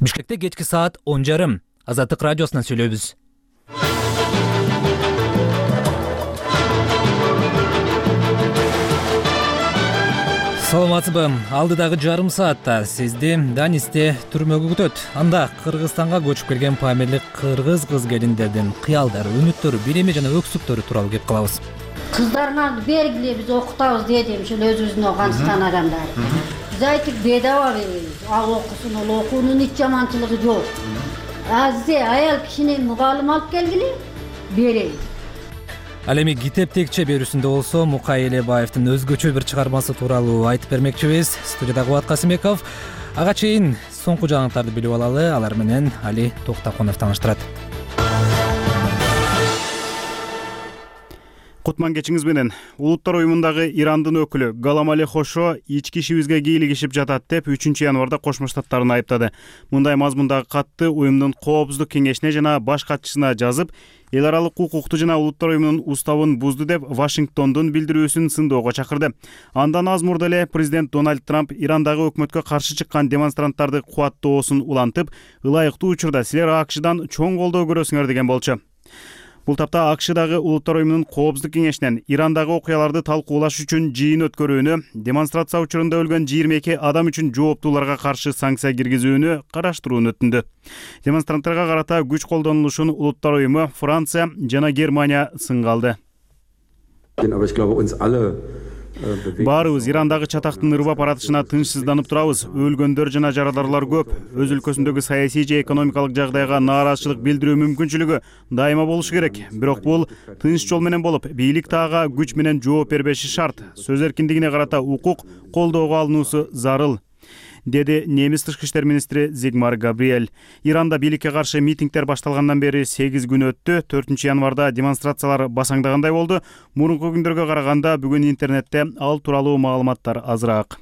Бишкекте кечки саат он жарым. Азаттык радиосунан сүйлөйбүз. Саламатсызбы? Алдыдагы жарым саатта сизди Данисте түрмөгө күтөт. Анда Кыргызстанга көчүп келген памирлик кыргыз кыз келиндердин кыялдары, үмүттөрү, билими жана өксүктөрү тууралуу кеп калабыз. Кыздарыңарды бергиле, биз окутабыз дедим, ошол өзүбүздүн Афганистан адамдары. Биз айттык, бедаба беребиз. Ал окусун, ал окуунун эч жаманчылыгы жок. Азизе аял кишини мугалим алып келгиле, беребиз. Ал эми китеп текче берүүсүндө болсо Мукай Элебаевдин өзгөчө бир чыгармасы тууралуу айтып бермекчибиз. Студияда Кубат Касымбеков. Ага чейин соңку жаңылыктарды билип алалы. Алар менен Али Токтаконов тааныштырат. Кутман кечиңиз менен. Улуттар уюмундагы Ирандын өкүлү Галамали Хошо ички ишибизге кийлигишип жатат деп үчүнчү январда Кошмо Штаттарын айыптады. Мындай мазмундагы катты уюмдун Коопсуздук кеңешине жана баш катчысына жазып, эл аралык укукту жана улуттар уюмунун уставын бузду деп Вашингтондун билдирүүсүн сындоого чакырды. Андан аз мурда эле президент Дональд Трамп Ирандагы өкмөткө каршы чыккан демонстранттарды кубаттоосун улантып, ылайыктуу учурда силер АКШдан чоң колдоо көрөсүңөр деген болчу. Бул тапта АКШдагы улуттар уюмунун Коопсуздук кеңешинен Ирандагы окуяларды талкуулаш үчүн жыйын өткөрүүнү, демонстрация учурунда өлгөн жыйырма эки адам үчүн жооптууларга каршы санкция киргизүүнү караштырууну өтүндү. Демонстранттарга карата күч колдонулушун улуттар уюму Франция жана Германия сынга алды. Баарыбыз Ирандагы чатактын ырбап баратышына тынчсызданып турабыз. Өлгөндөр жана жараларлар көп. Өз өлкөсүндөгү саясий же экономикалык жагдайга нааразычылык билдирүү мүмкүнчүлүгү дайыма болушу керек. Бирок бул тынч жол менен болуп, бийлик тага күч менен жооп бербеши шарт. Сөз эркиндигине карата укук колдоого алынуусу зарыл, деди немис тышкы иштер министри Зигмар Габриэль. Иранда бийликке каршы митингдер башталгандан бери сегиз күн өттү. төртүнчү январда демонстрациялар басаңдагандай болду. Мурунку күндөргө караганда бүгүн интернетте ал тууралуу маалыматтар азыраак.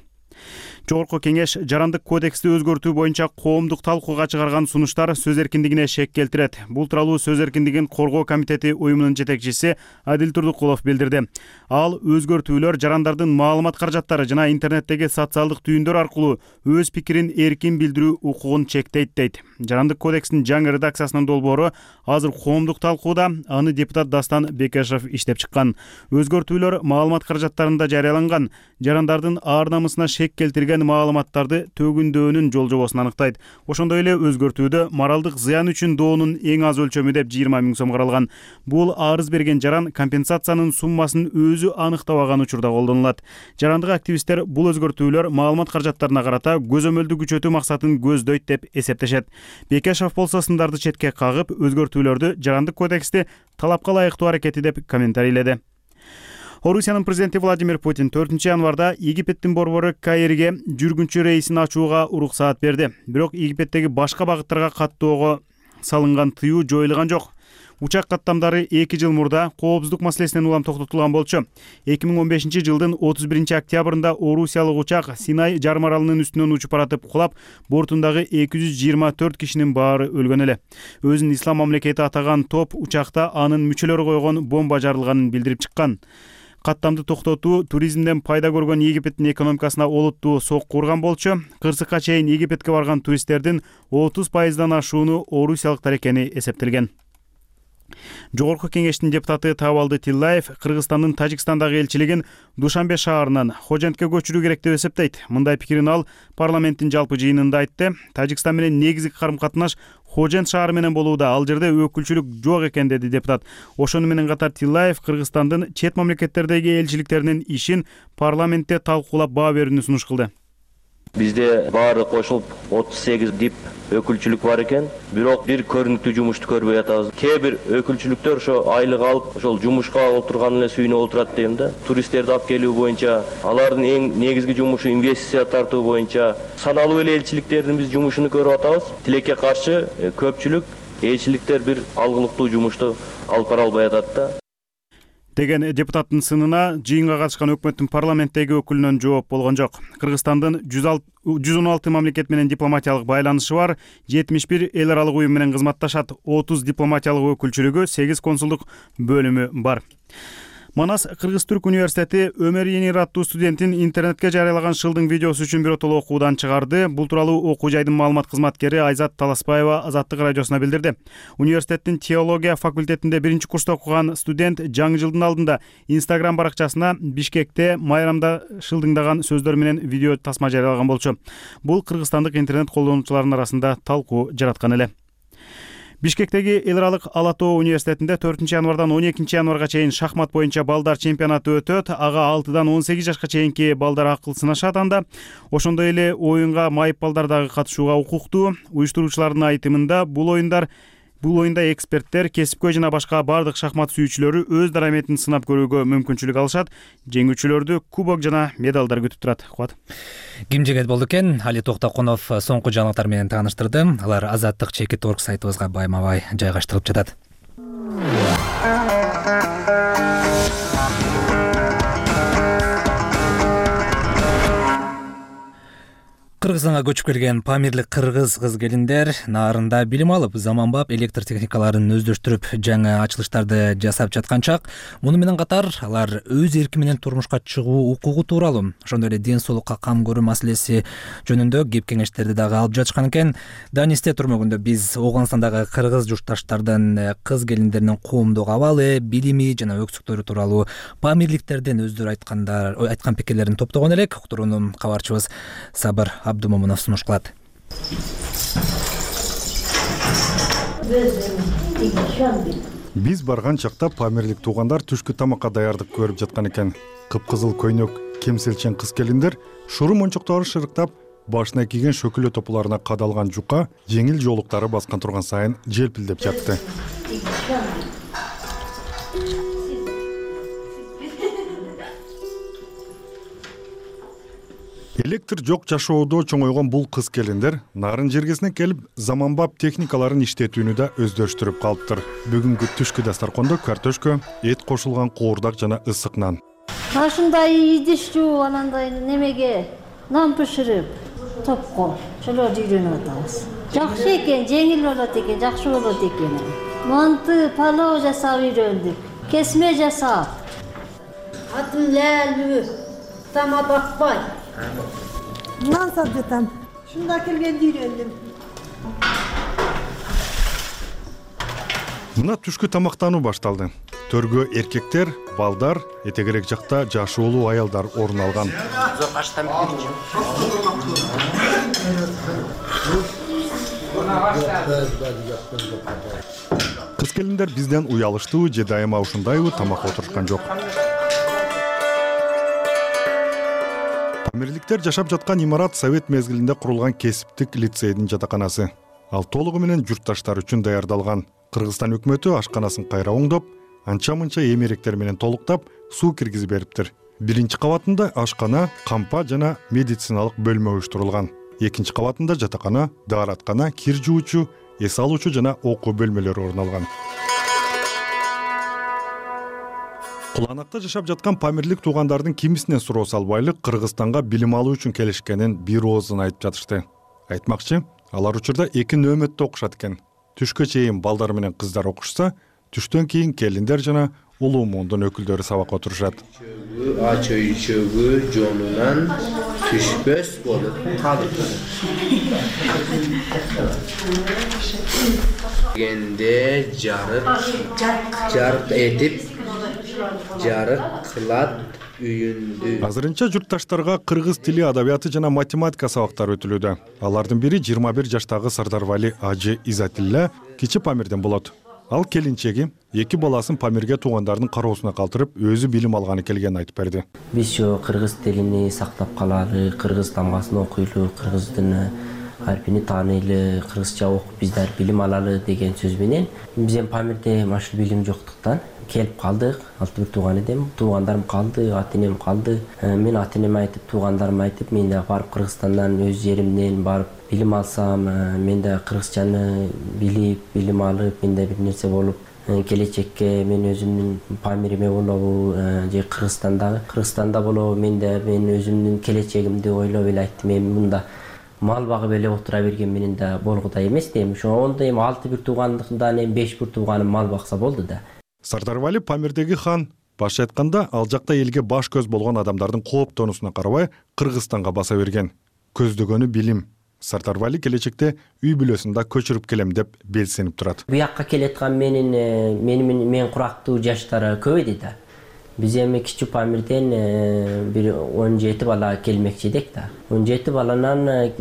Жогорку кеңеш жарандык кодексти өзгөртүү боюнча коомдук талкууга чыгарган сунуштар сөз эркиндигине шек келтирет. Бул тууралуу сөз эркиндигин коргоо комитети уюмунун жетекчиси Адил Турдукулов билдирди. Ал өзгөртүүлөр жарандардын маалымат каражаттары жана интернеттеги социалдык түйүндөр аркылуу өз пикирин эркин билдирүү укугун чектейт дейт. Жарандык кодекстин жаңы редакциясынын долбоору азыр коомдук талкууда, аны депутат Дастан Бекешев иштеп чыккан. Өзгөртүүлөр маалымат каражаттарында жарыяланган жарандардын ар намысына шек келтирген маалыматтарды төгүндөөнүн жол-жобосун аныктайт. Ошондой эле өзгөртүүдө моралдык зыян үчүн доонун эң аз өлчөмү деп жыйырма миң сом каралган. Бул арыз берген жаран компенсациянын суммасын өзү аныктабаган учурда колдонулат. Жарандык активисттер бул өзгөртүүлөр маалымат каражаттарына карата көзөмөлдү күчөтүү максатын көздөйт деп эсептешет. Бекешев болсо сындарды четке кагып, өзгөртүүлөрдү жарандык кодексти талапка ылайыктуу аракети деп комментарийледи. Орусиянын президенти Владимир Путин төртүнчү январда Египеттин борбору Каирге жүргүнчү рейсин ачууга уруксаат берди. Бирок Египеттеги башка багыттарга каттоого салынган тыюу жоюлган жок. Учак каттамдары эки жыл мурда коопсуздук маселесинен улам токтотулган болчу. эки миң он бешинчи жылдын отуз биринчи октябрында Орусиялык учак Синай жарым аралынын үстүнөн учуп баратып кулап, бортундагы эки жүз жыйырма төрт кишинин баары өлгөн эле. Өзүн ислам мамлекети атаган топ учакта анын мүчөлөрү койгон бомба жарылганын билдирип чыккан. Каттамды токтотуу туризмден пайда көргөн Египеттин экономикасына олуттуу сокку урган болчу. Кырсыкка чейин Египетке барган туристтердин отуз пайыздан ашууну орусиялыктар экени эсептелген. Жогорку кеңештин депутаты Табалды Тиллаев Кыргызстандын Тажикстандагы элчилигин Душанбе шаарынан Хожентке көчүрүү керек деп эсептейт. Мындай пикирин ал парламенттин жалпы жыйынында айтты. Тажикстан менен негизги карым-катнаш Хожент шаары менен болууда, ал жерде өкүлчүлүк жок экен, деди депутат. Ошону менен катар Тиллаев Кыргызстандын чет мамлекеттердеги элчиликтеринин ишин парламентте талкуулап баа берүүнү сунуш кылды. Бизде баары кошулуп отуз сегиз дип өкүлчүлүк бар экен. Бирок бир көрүнүктүү жумушту көрбөй атабыз. Кээ бир өкүлчүлүктөр ошо айлык алып, ошол жумушка отурган эле сүйүнүп отурат дейм да. Туристтерди алып келүү боюнча, алардын эң негизги жумушу инвестиция тартуу боюнча саналуу эле элчиликтердин биз жумушуну көрүп атабыз. Тилекке каршы көпчүлүк элчиликтер бир алгылыктуу жумушту алып бара албай атат да. Деген депутаттын сынына жыйынга катышкан өкмөттүн парламенттеги өкүлүнөн жооп болгон жок. Кыргызстандын жүз он алты мамлекет менен дипломатиялык байланышы бар, жетимиш бир эл аралык уюм менен кызматташат, отуз дипломатиялык өкүлчүлүгү, сегиз консулдук бөлүмү бар. Манас Кыргыз-Түрк университети Өмөр Енир аттуу студентин интернетке жарыялаган шылдың видеосу үчүн биротоло окуудан чыгарды. Бул тууралуу окуу жайдын маалымат кызматкери Айзат Таласпаева Азаттык радиосуна билдирди. Университеттин теология факультетинде биринчи курста окуган студент жаңы жылдын алдында Instagram баракчасына Бишкекте майрамда шылдыңдаган сөздөр менен видео тасма жарыялаган болчу. Бул кыргызстандык интернет колдонуучулардын арасында талкуу жараткан эле. Бишкектеги эл аралык Ала Тоо университетинде төртүнчү январдан он экинчи январга чейин шахмат боюнча балдар чемпионаты өтөт. Ага алтыдан он сегиз жашка чейинки балдар акыл сынашат анда. Ошондой эле оюнга майып балдар дагы катышууга укуктуу. Уюштуруучулардын айтымында бул оюндар Бул оюнда эксперттер, кесипкөй жана башка бардык шахмат сүйүүчүлөрү өз дараметин сынап көрүүгө мүмкүнчүлүк алышат. Жеңүүчүлөрдү кубок жана медалдар күтүп турат. Кубат. Ким жегет болду экен? Али Токтокунов соңку жаңылыктар менен тааныштырды. Алар Азаттык чекит орг сайтыбызга байма-бай жайгаштырылып жатат. Кыргызстанга көчүп келген памирлик кыргыз кыз-келиндер наарында билим алып, заманбап электр техникаларын өздөштүрүп, жаңы ачылыштарды жасап жаткан чак. Муну менен катар алар өз эрки менен турмушка чыгуу укугу тууралуу, ошондой эле ден соолукка кам көрүү маселеси жөнүндө кеп кеңештерди дагы алып жатышкан экен. Данисте турмөгүндө биз Ооганстандагы кыргыз журтташтардын кыз-келиндеринин коомдук абалы, билими жана өксүктөрү тууралуу памирликтерден өздөрү айткандар, айткан пикирлерин топтогон элек. Уктурууну кабарчыбыз Сабыр Абдумомунов сунуш кылат. Биз барган чакта памирлик туугандар түшкү тамакка даярдык көрүп жаткан экен. Кыпкызыл көйнөк кемселчен кыз-келиндер шуру мончоктору шырыктап, башына кийген шөкүлө топуларына кадалган жука жеңил жоолуктары баскан турган сайын желпилдеп жатты. Электр жок жашоодо чоңойгон бул кыз-келиндер нарын жергесине келип, заманбап техникаларын иштетүүнү да өздөштүрүп калыптыр. Бүгүнкү түшкү дастаркондо картошка, эт кошулган коордак жана ысык нан. Ашындай идиш жууп, анандай немеге нан бышырып, топко ошолорду үйрөнүп атабыз. Жакшы экен, жеңил болот экен, жакшы болот экен. Манты, палоо жасап үйрөндүк, кесме жасап. Атым Ләлү, Тама Бакбай. Нан сап жатам. Шунда келгенде үйрөндүм. Мына түшкү тамактануу башталды. Төргө эркектер, балдар, этегерек жакта жашоолуу аялдар орун алган. Кыз-келиндер бизден уялыштуу же дайыма ушундайбы тамакка отурушкан жок. Памирликтер жашап жаткан имарат совет мезгилинде курулган кесиптик лицейдин жатаканасы. Ал толугу менен журтташтар үчүн даярдалган. Кыргызстан өкмөтү ашканасын кайра оңдоп, анча-мынча эмеректер менен толуктап, суу киргизип бериптир. Биринчи кабатында ашкана, кампа жана медициналык бөлмө уюштурулган. Экинчи кабатында жатакана, даараткана, кир жуучу, эс алуучу жана окуу бөлмөлөрү орун алган. Куланакта жашап жаткан памирлик туугандардын кимисинен суроо салбайлык Кыргызстанга билим алуу үчүн келишкенин бир оозун айтып жатышты. Айтмакчы, алар учурда эки нөөмөттө окушат экен. Түшкө чейин балдар менен кыздар окушса, түштөн кийин келиндер жана улуу муундун өкүлдөрү сабакка отурушат. Ач өйчөгү жонунан түшпөс болуп калды. келгенде жарык жарык этип жарык кылат үйүндү. Азырынча журтташтарга кыргыз тили, адабияты жана математика сабактары өтүлүүдө. Алардын бири жыйырма бир жаштагы Сардарвали Ажы Изатилла кичи Памирден болот. Ал келинчеги эки баласын Памирге туугандарынын кароосуна калтырып, өзү билим алганы келгенин айтып берди. Биз жо кыргыз тилини сактап калалы, кыргыз тамгасын окуйлу, кыргыздын арпини тааныйлы, кыргызча окуп биздер билим алалы деген сөз менен биз эми Памирде машыл билим жоктуктан келип калдык. Алты бир тууган эдим. Туугандарым калды, ата энем калды. Мен ата энеме айтып, туугандарыма айтып, мен да барып Кыргызстандан, өз жеримден барып билим алсам, мен да кыргызчаны билип, билим алып, мен да бир нерсе болуп, келечекке мен өзүмдүн Памириме болобу, же Кыргызстандагы Кыргызстанда болобу, мен да мен өзүмдүн келечегимди ойлоп эле айттым. Эми мында мал багып эле отура берген менен да болгудай эмес дейм. Ошондо эми алты бир туугандыктан эми беш бир тууганым мал бакса болду да. Сардарвали Памирдеги хан. Башча айтканда, ал жакта элге баш көз болгон адамдардын кооптонусуна карабай Кыргызстанга баса берген. Көздөгөнү билим. Сардарвали келечекте үй бүлөсүн да көчүрүп келем деп белсенип турат. Буякка келеаткан менин менин мен курактуу жаштары көбөйдү да. Биз эми кичи Памирден бир он жети бала келмекчи эдик да. он жети баланан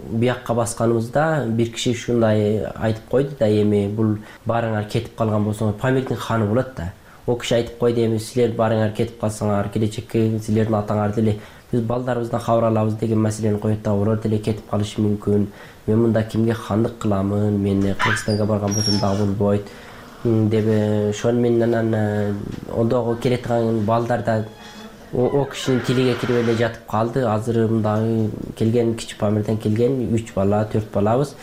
буякка басканыбызда бир киши ушундай айтып койду да, эми бул баарыңар кетип калган болсоңор Памирдин ханы болот да. О киши айтып койду, эми силер баарыңар кетип калсаңар келечекке силердин атаңар деле биз балдарыбыздан кабар алабыз деген маселени коет да. Олар деле кетип калышы мүмкүн. Мен мында кимге хандык кыламын? Мен Кыргызстанга барган болсом дагы болбойт деп ошону менен анан ондогу келеаткан балдар да о кишинин тилиге кирип эле жатып калды. Азыр мындагы келген кичи Памирден келген үч бала, төрт балабыз.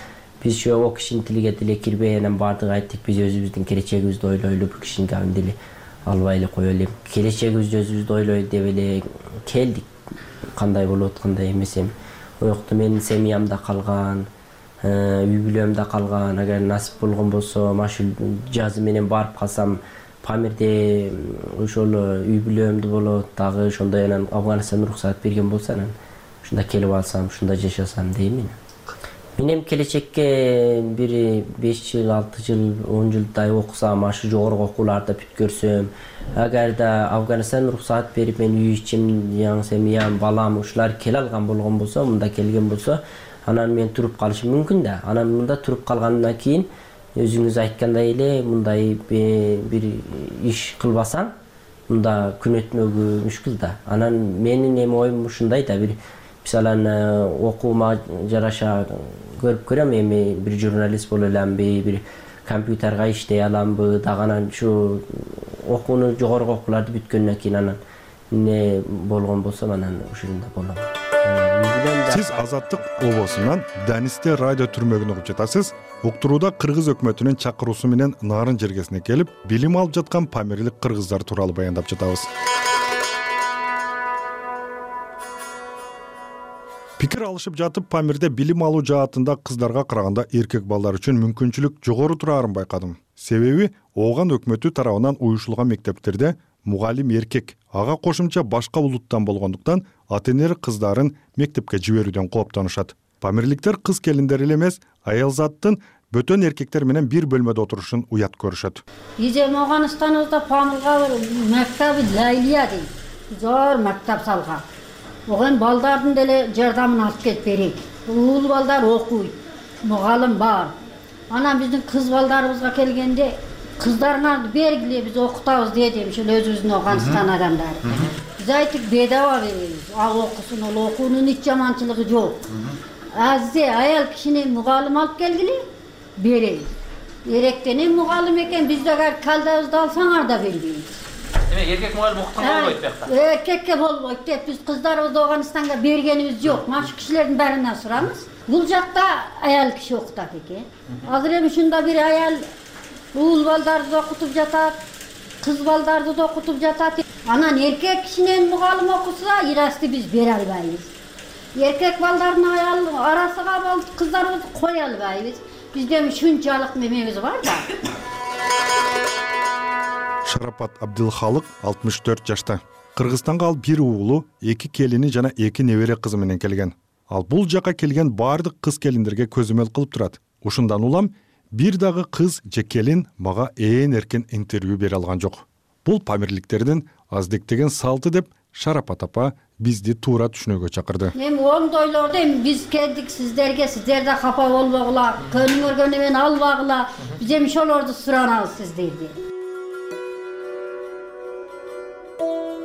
Биз ошо о кишинин тилиге деле кирбей анан баардыгы айттык, биз өзүбүздүн келечегибизди ойлойлу, бул кишинин габын деле албай эле коелу. Эми келечегибизди өзүбүз ойлойт деп эле келдик. Кандай болот, кандай эмес эми. Оякта менин семьямда калган, үй бүлөмдө калган. Агар насип болгон болсо, машыл жазы менен барып калсам, Памирде ошол үй бүлөмдө болот, дагы ошондой анан Афганистан уруксат берген болсо, анан ушунда келип алсам, ушунда жашасам дейм мен. Мен эми келечекке бир беш жыл, алты жыл, он жылдай окусам, ашы жогорку окууларды бүткөрсөм, агар да Афганистан уруксат берип мен үй ичим, жаңы семьям, балам ушулар келе алган болгон болсо, мында келген болсо, анан мен туруп калышым мүмкүн да. Анан мында туруп калгандан кийин өзүңүз айткандай эле мындай бир иш кылбасаң, мында күн өтмөгү мүшкүл да. Анан менин эми оюм ушундай да, бир мисалан окуума жараша көрүп көрөм, эми бир журналист боло аламбы, бир компьютерга иштей аламбы, дагы анан ушу окууну жогорку окууларды бүткөндөн кийин анан эмне болгон болсо анан ушунда болом. Сиз Азаттык обосунан Данисте радио түрмөгүн угуп жатасыз. Уктурууда кыргыз өкмөтүнүн чакыруусу менен Нарын жергесине келип, билим алып жаткан памирлик кыргыздар тууралуу баяндап жатабыз. Пикир алышып жатып, Памирде билим алуу жаатында кыздарга караганда эркек балдар үчүн мүмкүнчүлүк жогору турарын байкадым. Себеби Ооган өкмөтү тарабынан уюшулган мектептерде мугалим эркек, ага кошумча башка улуттан болгондуктан ата-энелер кыздарын мектепке жиберүүдөн кооптонушат. Памирликтер кыз келиндер эле эмес, аялзаттын бөтөн эркектер менен бир бөлмөдө отурушун уят көрүшөт. Биз эми Ооганстаныбызда Памирга бир мектеби Лайлия дейт. Зор мектеп салган. Огон балдардын деле жардамын алып келип берейик. Уул балдар окуйт, мугалим бар. Анан биздин кыз балдарыбызга келгенде кыздарыңарды бергиле, биз окутабыз дедим, ошол өзүбүздүн Ооганстан адамдары. Биз айттык, бедаба беребиз. Ал окусун, ал окуунун эч жаманчылыгы жок. Аззе аял кишини мугалим алып келгиле, беребиз. Эректенен мугалим экен, биз дагы калдабызды алсаңар да бербейбиз. Эме эркек мугалим окуткан болбойт бияқта. Эркекке болбойт деп биз кыздарыбызды Ооганстанга бергенибиз жок. Машы кишилердин баарынан сураңыз. Бул жакта аял киши окутат экен. Азыр эми ушунда бир аял уул балдарды да окутуп жатат, кыз балдарды да окутуп жатат. Анан эркек кишинен мугалим окуса, ирасты биз бере албайбыз. Эркек балдардын аял арасыга кыздарыбызды кое албайбыз. Бизде ушунчалык немебиз бар да. Шарапат Абдылхалык алтымыш төрт жашта. Кыргызстанга ал бир уулу, эки келини жана эки небере кызы менен келген. Ал бул жака келген баардык кыз келиндерге көзөмөл кылып турат. Ушундан улам бир дагы кыз же келин мага ээн эркен интервью бере алган жок. Бул памирликтердин аздектеген салты деп Шарапат апа бизди туура түшүнүүгө чакырды. Эми оңдойлорду эми биз келдик сиздерге, сиздер да капа болбогула, көнүңөргөнү мен албагыла. Биз эми ошолорду суранабыз сиздерден.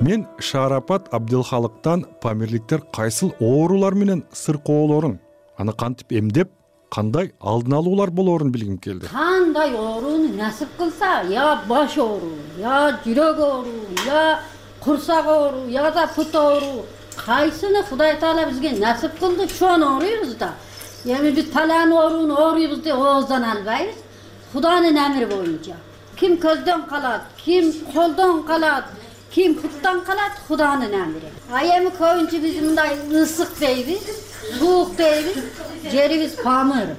Мен Шарапат Абдылхалыктан памирликтер кайсыл оорулар менен сыркоолорун, аны кантип эмдеп, кандай алдын алуулар болоорун билгим келди. Кандай ооруну насип кылса, я баш оору, я жүрөк оору, я курсак оору, я да пут оору, кайсыны Кудай Таала бизге насип кылды, шону ооруйбуз да. Эми биз палан ооруну ооруйбуз деп ооздан албайбыз. Кудайдын амри боюнча. Ким көздөн калат, ким колдон калат, ким путтан калат, Кудайдын амри. А эми көбүнчө биз мындай ысык дейбиз, суук дейбиз, жерибиз памыр.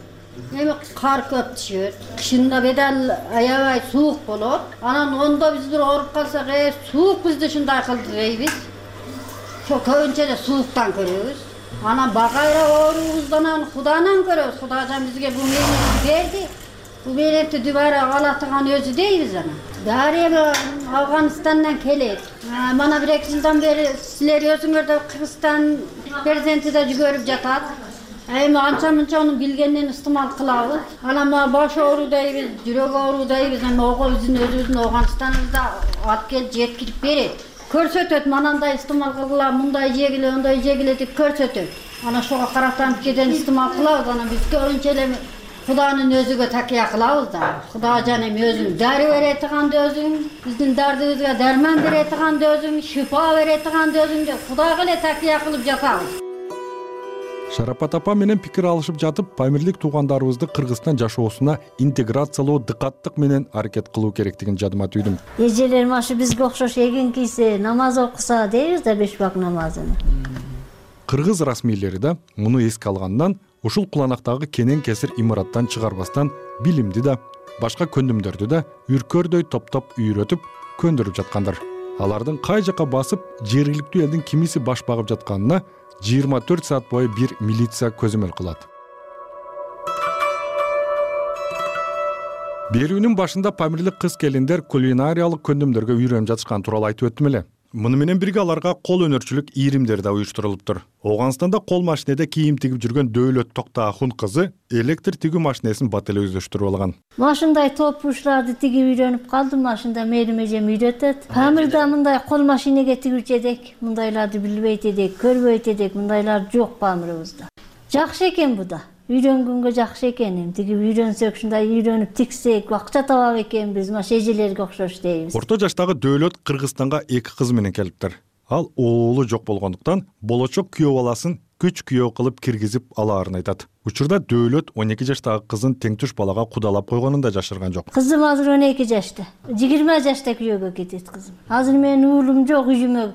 Эми кар көп түшөт, кышында бедел аябай суук болот. Анан ондо биз бир ооруп калсак, э, суук бизди ушундай кылды дейбиз. Ошо көбүнчө эле сууктан көрөбүз. Анан багайра оорубуздан Кудайдан көрөбүз. Кудайдан бизге бул мээнетти берди. Бул мээнетти дубара алатыган өзү дейбиз анан. Дарыя Афганистандан келет. Мана бир эки жылдан бери силер өзүңөр да Кыргызстан президенти да жүгөрүп жатат. Эми анча мынча анын билгенин истемал кылабыз. Анан баш оору дейбиз, жүрөк оору дейбиз. Эми ого биздин өзүбүздүн Афганистаныбызда алып келип жеткирип берет. Көрсөтөт, манандай истемал кылгыла, мындай жегиле, ондай жегиле деп көрсөтөт. Анан ошого каратан кеден истемал кылабыз. Анан биз көбүнчө эле Кудайдын өзүгө такыя кылабыз да. Кудай жана эми өзүң дары бере турганды өзүң, биздин дардыбызга дарман бере турганды өзүң, шифа бере турганды өзүң деп Кудайга эле такыя кылып жатабыз. Шарапат апа менен пикир алышып жатып, памирлик туугандарыбызды Кыргызстан жашоосуна интеграциялоо дыкаттык менен аракет кылуу керектигин жадыма түйдүм. Эжелерим ашы бизге окшош эгин кийсе, намаз окуса дейбиз да беш вак намазын. Кыргыз расмийлери да муну эске алгандан ушул куланактагы кенен кесир имараттан чыгарбастан билимди да, башка көндүмдөрдү да үркөрдөй топтоп үйрөтүп көндүрүп жаткандар. Алардын кай жака басып, жергиликтүү элдин кимиси баш багып жатканына жыйырма төрт саат бою бир милиция көзөмөл кылат. Берүүнүн башында памирлик кыз келиндер кулинариялык көндүмдөргө үйрөнүп жатышкан тууралуу айтып өттүм эле. Муну менен бирге аларга кол өнөрчүлүк ийримдер да уюштурулуптур. Ооганстанда кол машинеде кийим тигип жүргөн Дөөлөт Токтоахун кызы электр тигүү машинесин бат эле өздөштүрүп алган. Машиндай топуштарды тигип үйрөнүп калдым, машинда мээрим эжем үйрөтөт. Памирда мындай кол машинеге тигүүчү эдик, мындайларды билбейт эдик, көрбөйт эдик, мындайлар жок памирыбызда. Жакшы экен бу да. Үйрөнгөнгө жакшы экен, эми тигип үйрөнсөк, ушундай үйрөнүп тиксек, акча табак экенбиз, маш эжелерге окшош дейбиз. Орто жаштагы Дөөлөт Кыргызстанга эки кызы менен келиптир. Ал оолу жок болгондуктан болочок күйөө баласын күч күйөө кылып киргизип алаарын айтат. Учурда Дөөлөт он эки жаштагы кызын теңтүш балага кудалап койгонун да жашырган жок. Кызым азыр он эки жашта. жыйырма жашта күйөөгө кетет кызым. Азыр менин уулум жок, үйүмө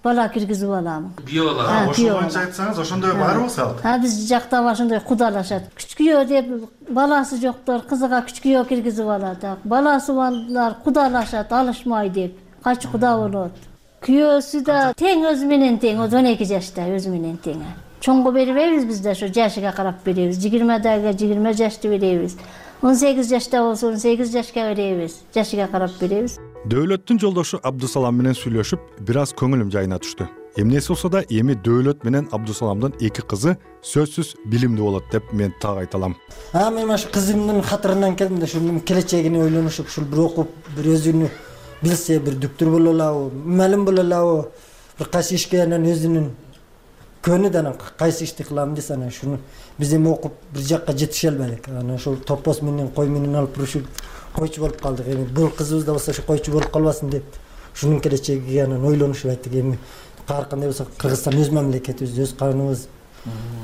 бала киргизип алам. Күйөө бала. Ошо боюнча айтсаңыз, ошондой барбы сал? А биз жакта ошондой кудалашат. Күч күйөө деп баласы жоктор кызыга күч күйөө киргизип алат. Баласы балдар кудалашат, алышмай деп. Качы куда болот. Күйөөсү да тең өзү менен тең, он эки жашта өзү менен тең. Чоңго бербейбиз биз да, ошо жашыга карап беребиз. жыйырмадагы жыйырма жашты беребиз. он сегиз жашта болсо он сегиз жашка беребиз. Жашыга карап беребиз. Дөөлөттүн жолдошу Абдусалам менен сүйлөшүп, бир аз көңүлүм жайына түштү. Эмнеси болсо да эми Дөөлөт менен Абдусаламдын эки кызы сөзсүз билимдүү болот деп мен так айта алам. А мен ошо кызымдын катарынан келдим да, ушунун келечегине ойлонушуп, ушул бир окуп, бир өзүнү билсе, бир доктор боло алабы, мугалим боло алабы, бир кайсы ишке анан өзүнүн көнү да анан кайсы ишти кылам десе, анан ушуну биз эми окуп бир жакка жетише албадык. Анан ошол топоз менен кой менен алып урушуп койчу болуп калдык. Эми бул кызыбыз да болсо ошо койчу болуп калбасын деп ушунун келечегиге анан ойлонушуп айттык. Эми ар кандай болсо Кыргызстан өз мамлекетибиз, өз каныбыз,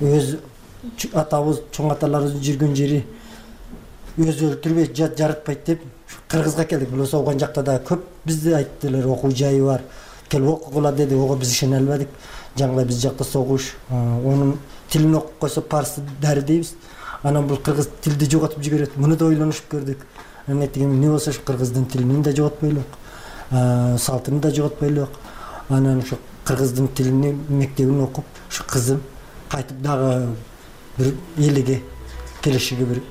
өз атабыз, чоң аталарыбыздын жүргөн жери өзү өлтүрбөйт, жат жарытпайт деп Кыргызга келдик. Бул согон жакта да көп бизди айттылар, окуу жайы бар, келип окугула деди. Ого биз ишене албадык. Жаңгыдай биз жакта согуш, онун тилин окуп койсо парсы дары дейбиз. Анан бул кыргыз тилди жоготуп жиберет. Муну да ойлонушуп көрдүк. Анан эми эмне болсо ушу кыргыздын тилин да жоготпойлук, салтын да жоготпойлук. Анан ушу кыргыздын тилини мектебин окуп, ушу кызым кайтып дагы бир элиге келешиге бир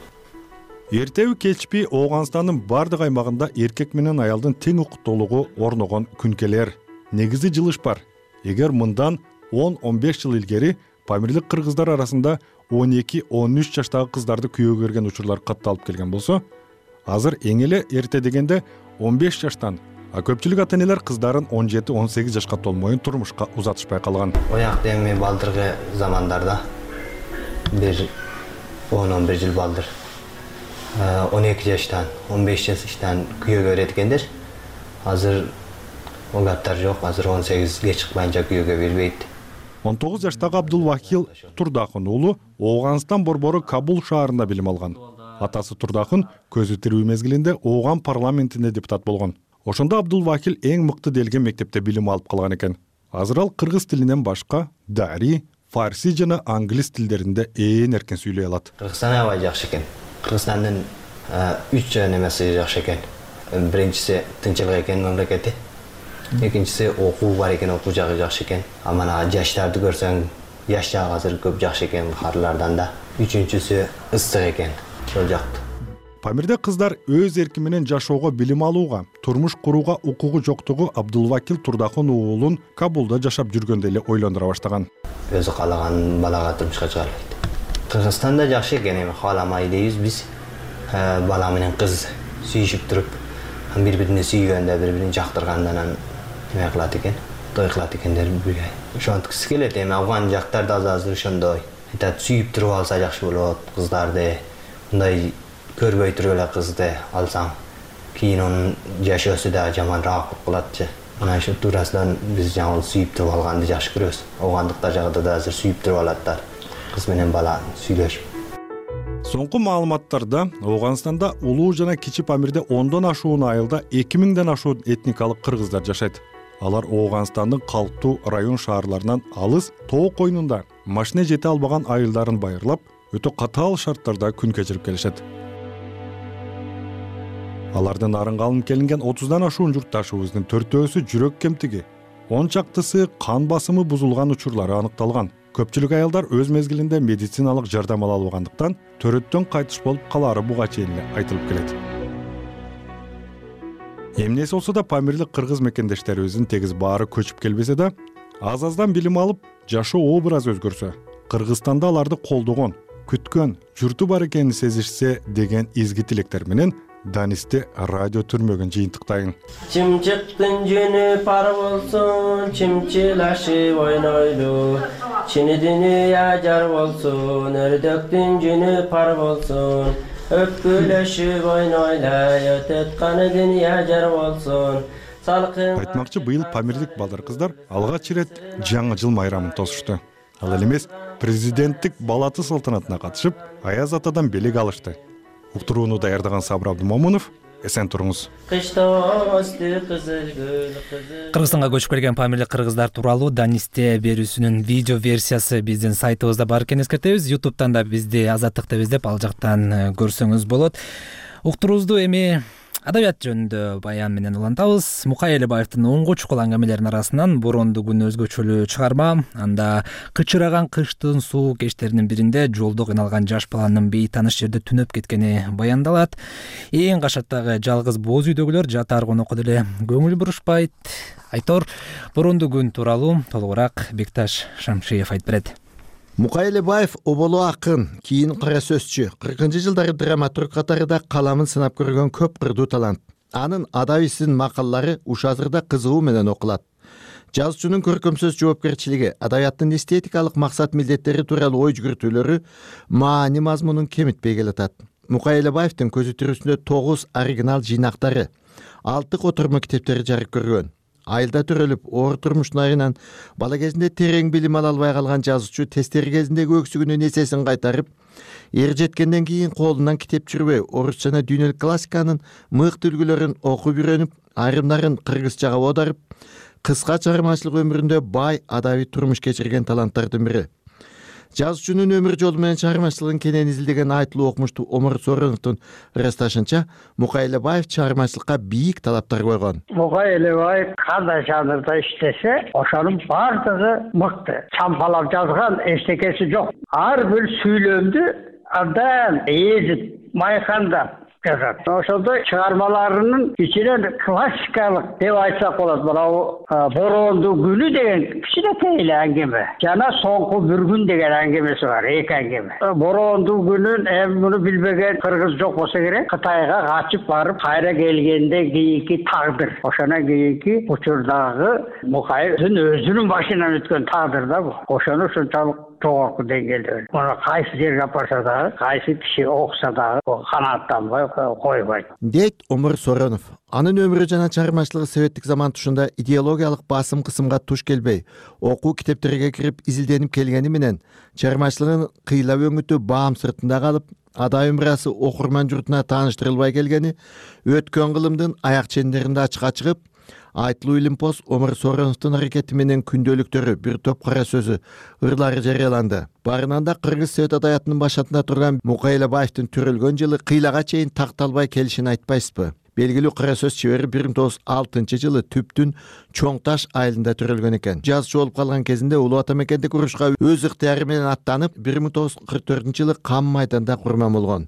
Эртеби кечпи Ооганстандын бардык аймагында эркек менен аялдын тең укуктуулугу орногон күнкелер. Негизи жылыш бар. Эгер мындан он он беш жыл илгери памирлик кыргыздар арасында он эки он үч жаштагы кыздарды күйөөгө берген учурлар катталып келген болсо, азыр эң эле эрте дегенде он беш жаштан, а көпчүлүк ата энелер кыздарын он жети он сегиз жашка толмоюн турмушка узатышпай калган. Оякта эми балдыркы замандарда бир он он бир жыл балдыр он эки жаштан он беш жаштан күйөөгө берет экендер. Азыр ол аттар жок. Азыр он сегизге чыкпайынча күйөөгө бербейт. он тогуз жаштагы Абдулвакил Турдахын уулу Ооганстан борбору Кабул шаарында билим алган. Атасы Турдахын көзү тирүү мезгилинде Ооган парламентинде депутат болгон. Ошондо Абдулвакил эң мыкты делген мектепте билим алып калган экен. Азыр ал кыргыз тилинен башка дари, фарси жана англис тилдеринде ээн эркен сүйлөй алат. Кыргызстан аябай жакшы экен. Кыргызстандын үч немеси жакшы экен. Биринчиси тынччылык экен мамлекети. Экинчиси окуу бар экен, окуу жагы жакшы экен. А мана жаштарды көрсөң, жаш жагы азыр көп жакшы экен каарылардан да. Үчүнчүсү ыстык экен. Ошол жакты. Памирде кыздар өз эрки менен жашоого, билим алууга, турмуш курууга укугу жоктугу Абдулвакил Турдахын уулун Кабулда жашап жүргөндө эле ойлондура баштаган. Өзү каалаган балага турмушка чыга албайт. Кыргызстанда жакшы экен, эми кааламай дейбиз биз. Бала менен кыз сүйүшүп туруп, бири-бирине сүйгөндө, бири-бирин жактыргандан эме кылат экен, той кылат экендер бирге. Ошонткусы келет, эми Афган жактарда азыр ошондой. Айтат, сүйүп туруп алса жакшы болот кыздарды. Мындай көрбөй туруп эле кызды алсаң, кийин анын жашоосу да жаманраак болуп калатчы. Мына ошол туурасынан биз жаңы сүйүп туруп алганды жакшы көрөбүз. Оогандыктар жагында да азыр сүйүп туруп алаттар. Кыз менен бала сүйлөшүп. Соңку маалыматтарда Ооганстанда улуу жана кичи Памирде ондон ашуун айылда эки миңден ашуун этникалык кыргыздар жашайт. Алар Ооганстандын калктуу район шаарларынан алыс тоо койнунда машина жете албаган айылдарын байырлап, өтө катаал шарттарда күн кечирип келишет. Алардын арынга алынып келинген отуздан ашуун журтташыбыздын төртөөсү жүрөк кемтиги, он чактысы кан басымы бузулган учурлары аныкталган. Көпчүлүк аялдар өз мезгилинде медициналык жардам ала албагандыктан төрөттөн кайтыш болуп калаары буга чейин эле айтылып келет. Эмнеси болсо да памирлик кыргыз мекендештерибиздин тегиз баары көчүп келбесе да, аз-аздан билим алып, жашоо образ өзгөрсө, Кыргызстанда аларды колдогон, күткөн журту бар экенин сезишсе деген изги тилектер менен Данисти радио түрмөгүн жыйынтыктайын. Чымчыктын жөнү пар болсун, чымчылашып ойнойлу. Чини дүнүйө жар болсун, өрдөктүн жөнү пар болсун. Өпкүлөшүп ойнойлай, өтөтканы дүнүйө жар болсун. Айтмакчы, быйыл памирлик балдар кыздар алгач ирет жаңы жыл майрамын тосушту. Ал эле эмес, президенттик балаты салтанатына катышып, Аяз атадан белек алышты. Уктурууну даярдаган Сабыр Абдумомунов, эсен туруңуз. Кыргызстанга көчүп келген памирлик кыргыздар тууралуу Данисте берүүсүнүн видео версиясы биздин сайтыбызда бар экенин эскертебиз. ютубтан да бизди Азаттык деп издеп, ал жактан көрсөңүз болот. Уктуруубузду эми адабият жөнүндө баян менен улантабыз. Мукай Элебаевдин онго чукул аңгемелеринин арасынан Боронду күн өзгөчөлүү чыгарма, анда кычыраган кыштын суук кечтеринин биринде жолдо кыйналган жаш баланын бейтаныш жерде түнөп кеткени баяндалат. Эң кашаттагы жалгыз боз үйдөгүлөр жатаар конокко деле көңүл бурушпайт. Айтор, Боронду күн тууралуу толугураак Бекташ Шамшиев айтып берет. Мукай Элебаев оболу акын, кийин кара сөзчү, кыркынчы жылдары драматург катарында каламын сынап көргөн көп кырдуу талант. Анын адабийсин макалалары уш азырда кызыгуу менен окулат. Жазуучунун көркөм сөз жоопкерчилиги, адабияттын эстетикалык максат милдеттери тууралуу ой жүгүртүүлөрү маани мазмунун кемитпей келатат. Мукай Элебаевдин көзү тирүүсүндө тогуз оригинал жыйнактары, алты котормо китептери жарык көргөн. Айылда төрөлүп, оор турмуштун айынан бала кезинде терең билим ала албай калган жазуучу тестери кезиндеги өксүгүнүн эсесин кайтарып, эр жеткенден кийин колунан китеп жүрбөй, орус жана дүйнөлүк классиканын мыкты үлгүлөрүн окуп үйрөнүп, айрымдарын кыргызчага оодарып, кыска чыгармачылык өмүрүндө бай адабий турмуш кечирген таланттардын бири. Жазуучунун өмүр жолу менен чыгармачылыгын кенен изилдеген айтылуу окумуштуу Омар Сороновдун ырасташынча, Мукай Элебаев чыгармачылыкка бийик талаптар койгон. Мукай Элебаев кандай жанрда иштесе, ошонун бардыгы мыкты. Чампалап жазган эчтекеси жок. Ар бир сүйлөмдү абдан эзип майкандап жазат. Ошондой чыгармаларынын ичинен классикалык деп айтсак болот. Мына Бороондуу күнү деген кичинекей эле аңгеме. Жана Соңку бир күн деген аңгемеси бар, эки аңгеме. Бороондуу күнүн эми муну билбеген кыргыз жок болсо керек. Кытайга качып барып кайра келгенде кийинки тагдыр. Ошондон кийинки учурдагы Мукаевдин өзүнүн башынан өткөн тагдыр да бул. Ошону ушунчалык жогорку деңгээлде. Муну кайсы жерге алып барса дагы, кайсы киши окуса дагы канааттанбай койбойт. Дейт Омур Соронов. Анын өмүрү жана чыгармачылыгы советтик заман тушунда идеологиялык басым кысымга туш келбей, окуу китептерге кирип изилденип келгени менен чыгармачылыгын кыйлап өңүтү баам сыртында калып, адай өмүрасы окурман журтуна тааныштырылбай келгени өткөн кылымдын аяк чендеринде ачыкка чыгып, Айтылуу Илимпоз Омур Сороновдун аракети менен күндөлүктөрү, бир топ кара сөзү, ырлары жарыяланды. Барынан да Кыргыз Совет адаятынын башатында турган Мукайлабаевдин төрөлгөн жылы кыйлага чейин такталбай келишин айтпайсызбы? Белгилүү кара сөз чебери бир миң тогуз жүз алтынчы жылы Түптүн Чоң Таш айылында төрөлгөн экен. Жазчы болуп калган кезинде Улуу Ата мекендик урушка өз ыктыяры менен аттанып, бир миң тогуз жүз кырк төртүнчү жылы Кам майданда курман болгон.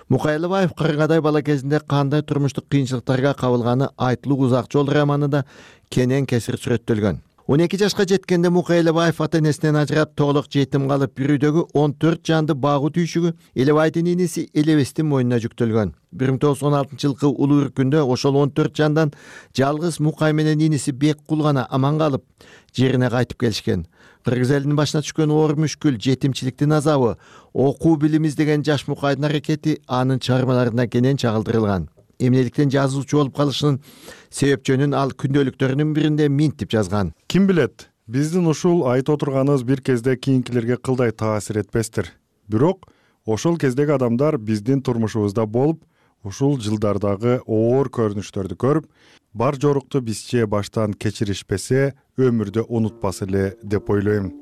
Мукайлабаев кыргыдай бала кезинде кандай турмуштук кыйынчылыктарга кабылганы Айтылуу Узак жол романында кенен кесир сүрөттөлгөн. он эки жашка жеткенде Мукайлабаев ата энесинен ажырап, толук жетим калып, бир үйдөгү он төрт жанды багуу түйшүгү Элебайдын иниси Элебестин мойнуна жүктөлгөн. бир миң тогуз жүз он алтынчы жылкы улуу үркүндө ошол он төрт жандан жалгыз Мукай менен иниси Беккул гана аман калып, жерине кайтып келишкен. Кыргыз элинин башына түшкөн оор мүшкүл, жетимчиликтин азабы, окуу билим издеген жаш Мукайдын аракети анын чыгармаларына кенен чагылдырылган. Эмнеликтен жазуучу болуп калышынын себепчөнүн ал күндөлүктөрүнүн биринде минтип жазган. Ким билет, биздин ушул айтып отурганыбыз бир кезде кийинкилерге кылдай таасир этпестир. Бирок ошол кездеги адамдар биздин турмушубузда болуп, ушул жылдардагы оор көрүнүштөрдү көрүп, бар жорукту бизче баштан кечиришпесе, өмүрдө унутпас эле деп ойлойм.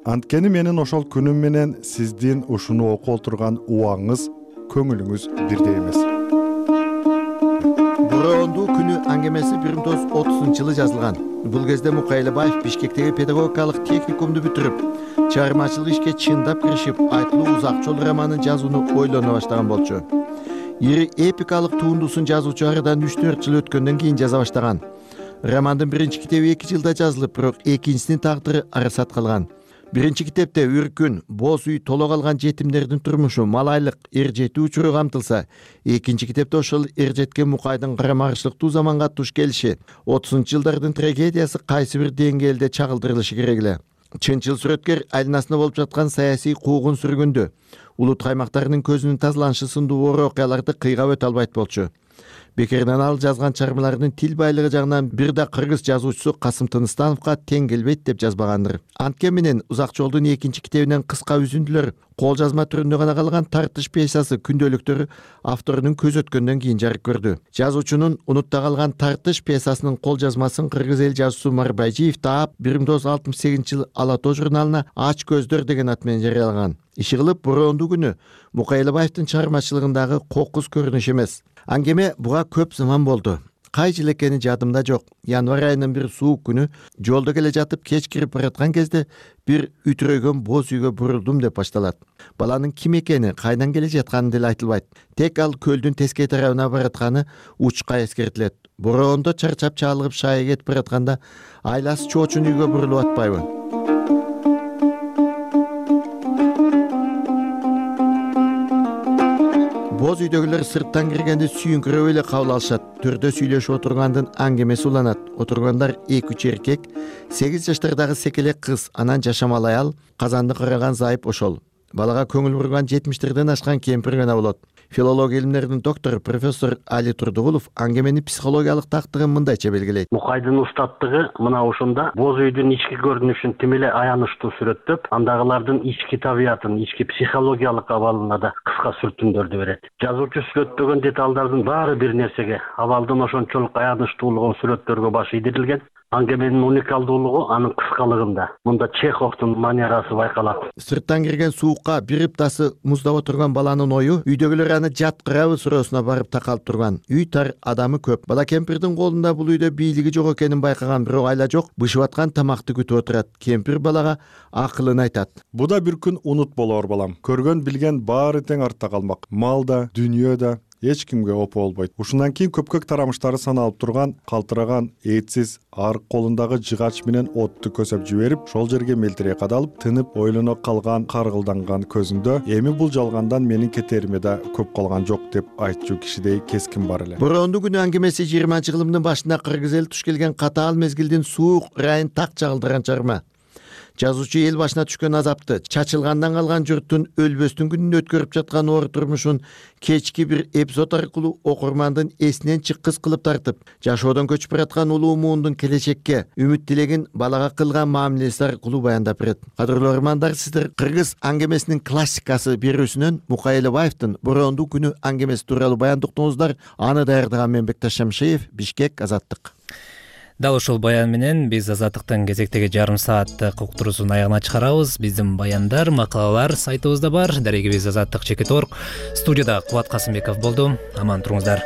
Анткени менин ошол күнүм менен сиздин ушуну окуп отурган убаңыңыз, көңүлүңүз бирдей эмес. Бороондуу күнү аңгемеси бир миң тогуз жүз отузунчу жылы жазылган. Бул кезде Мукайлабаев Бишкектеги педагогикалык техникумду бүтүрүп, чыгармачылык ишке чындап киришип, Айтылуу Узак жол романын жазууну ойлоно баштаган болчу. Ири эпикалык туындусун жазуучу арадан үч төрт жыл өткөндөн кийин жаза баштаган. Романдын биринчи китеби эки жылда жазылып, бирок экинчисинин тагдыры арасат калган. Биринчи китепте үркүн, боз үй, толо калган жетимдердин турмушу, малайлык, эр жетүү учуру камтылса, экинчи китепте ошол эр жеткен Мукайдын карамарчылыктуу заманга туш келиши, отузунчу жылдардын трагедиясы кайсы бир деңгээлде чагылдырылышы керек эле. Чынчыл сүрөткер айланасында болуп жаткан саясий куугун сүргүндү, улут каймактарынын көзүнүн тазаланышы сындуу оор окуяларды кыйгап өтө албайт болчу. Бекерден ал жазган чыгармаларынын тил байлыгы жагынан бир да кыргыз жазуучусу Касым Тыныстановго тең келбейт деп жазбагандыр. Анткени менен Узак жолдун экинчи китебинен кыска үзүндүлөр, кол жазма түрүндө гана калган Тартыш пьесасы күндөлүктөрү авторунун көз өткөндөн кийин жарык көрдү. Жазуучунун унутта калган Тартыш пьесасынын кол жазмасын кыргыз эл жазуучусу Марбайжиев таап бир миң тогуз жүз алтымыш сегизинчи жылы Ала тоо журналына Ач көздөр деген ат менен жарыялаган. Иши кылып Бороондуу күнү Мукайлабаевдин чыгармачылыгындагы кокус көрүнүш эмес. Аңгеме буга көп заман болду. Кай жыл экени жадымда жок. Январь айынын бир суук күнү жолдо келе жатып кеч кирип бараткан кезде бир үтүрөгөн боз үйгө бурулдум деп башталат. Баланын ким экени, кайдан келе жатканы деле айтылбайт. Тек ал көлдүн тескей тарабына баратканы учка эскертилет. Бороондо чарчап чалыгып шайы кетип баратканда айласы чоочун үйгө бурулуп атпайбы? Боз үйдөгүлөр сырттан киргенде сүйүңкүрөп эле кабыл алышат. Төрдө сүйлөшүп отургандын аңгемеси уланат. Отургандар эки үч эркек, сегиз жаштардагы секелек кыз, анан жашамал аял, казанды караган зайып ошол. Балага көңүл бурган жетимиштерден ашкан кемпир гана болот. Филология илимдеринин доктору профессор Али Турдугулов аңгеменин психологиялык тактыгын мындайча белгилейт. Мукайдын устаттыгы мына ошондо боз үйдүн ички көрүнүшүн тим эле аянычтуу сүрөттөп, андагылардын ички табиятын, ички психологиялык абалына да кыска сүртүмдөрдү берет. Жазуучу сүрөттөгөн деталдардын баары бир нерсеге, абалдын ошончолук аянычтуулугун сүрөттөргө баш ийдирилген. аңгеменин уникалдуулугу анын кыскалыгында. Мында Чеховдун манерасы байкалат. Сырттан кирген суукка бир ыптасы муздап отурган баланын ою үйдөгүлөр аны жаткырабы суроосуна барып такалып турган. Үй тар, адамы көп. Бала кемпирдин колунда бул үйдө бийлиги жок экенин байкаган бирок айла жок, бышып аткан тамакты күтүп отурат. Кемпир балага акылын айтат. Бу да бир күн унут болор балам. Көргөн билген баары тең артта калмак. Мал да, дүйнө да эч кимге опо болбойт. Ушундан кийин көпкөк тарамыштары саналып турган, калтыраган, этсиз, арык колундагы жыгач менен отту көсөп жиберип, шол жерге мелтирей кадалып, тынып, ойлоно калган, каргылданган көзүндө эми бул жалгандан менин кетериме да көп калган жок деп айтчу кишидей кескин бар эле. Бороондуу күнү аңгемеси жыйырманчы кылымдын башында кыргыз эли туш келген катаал мезгилдин суук ырайын так чагылдырган чыгарма. Жазуучу эл башына түшкөн азапты, чачылгандан калган журттун өлбөстүн күнүн өткөрүп жаткан оор турмушун кечки бир эпизод аркылуу окурмандын эсинен чыккыс кылып тартып, жашоодон көчүп бараткан улуу муундун келечекке үмүт тилегин балага кылган мамилеси аркылуу баяндап берет. Кадырлуу окурмандар, сиздер кыргыз аңгемесинин классикасы берүүсүнөн Мукай Элебаевдин Бороондуу күнү аңгемеси тууралуу баян уктуңуздар. Аны даярдаган мен Бекташ Шамшиев, Бишкек, Азаттык. Дал ушул баян менен биз Азаттыктын кезектеги жарым сааттык уктуруусунун аягына чыгарабыз. Биздин баяндар, макалалар сайтыбызда бар. Дарегибиз Азаттык чекит точка орг. Студияда Кубат Касымбеков болду. Аман туруңуздар.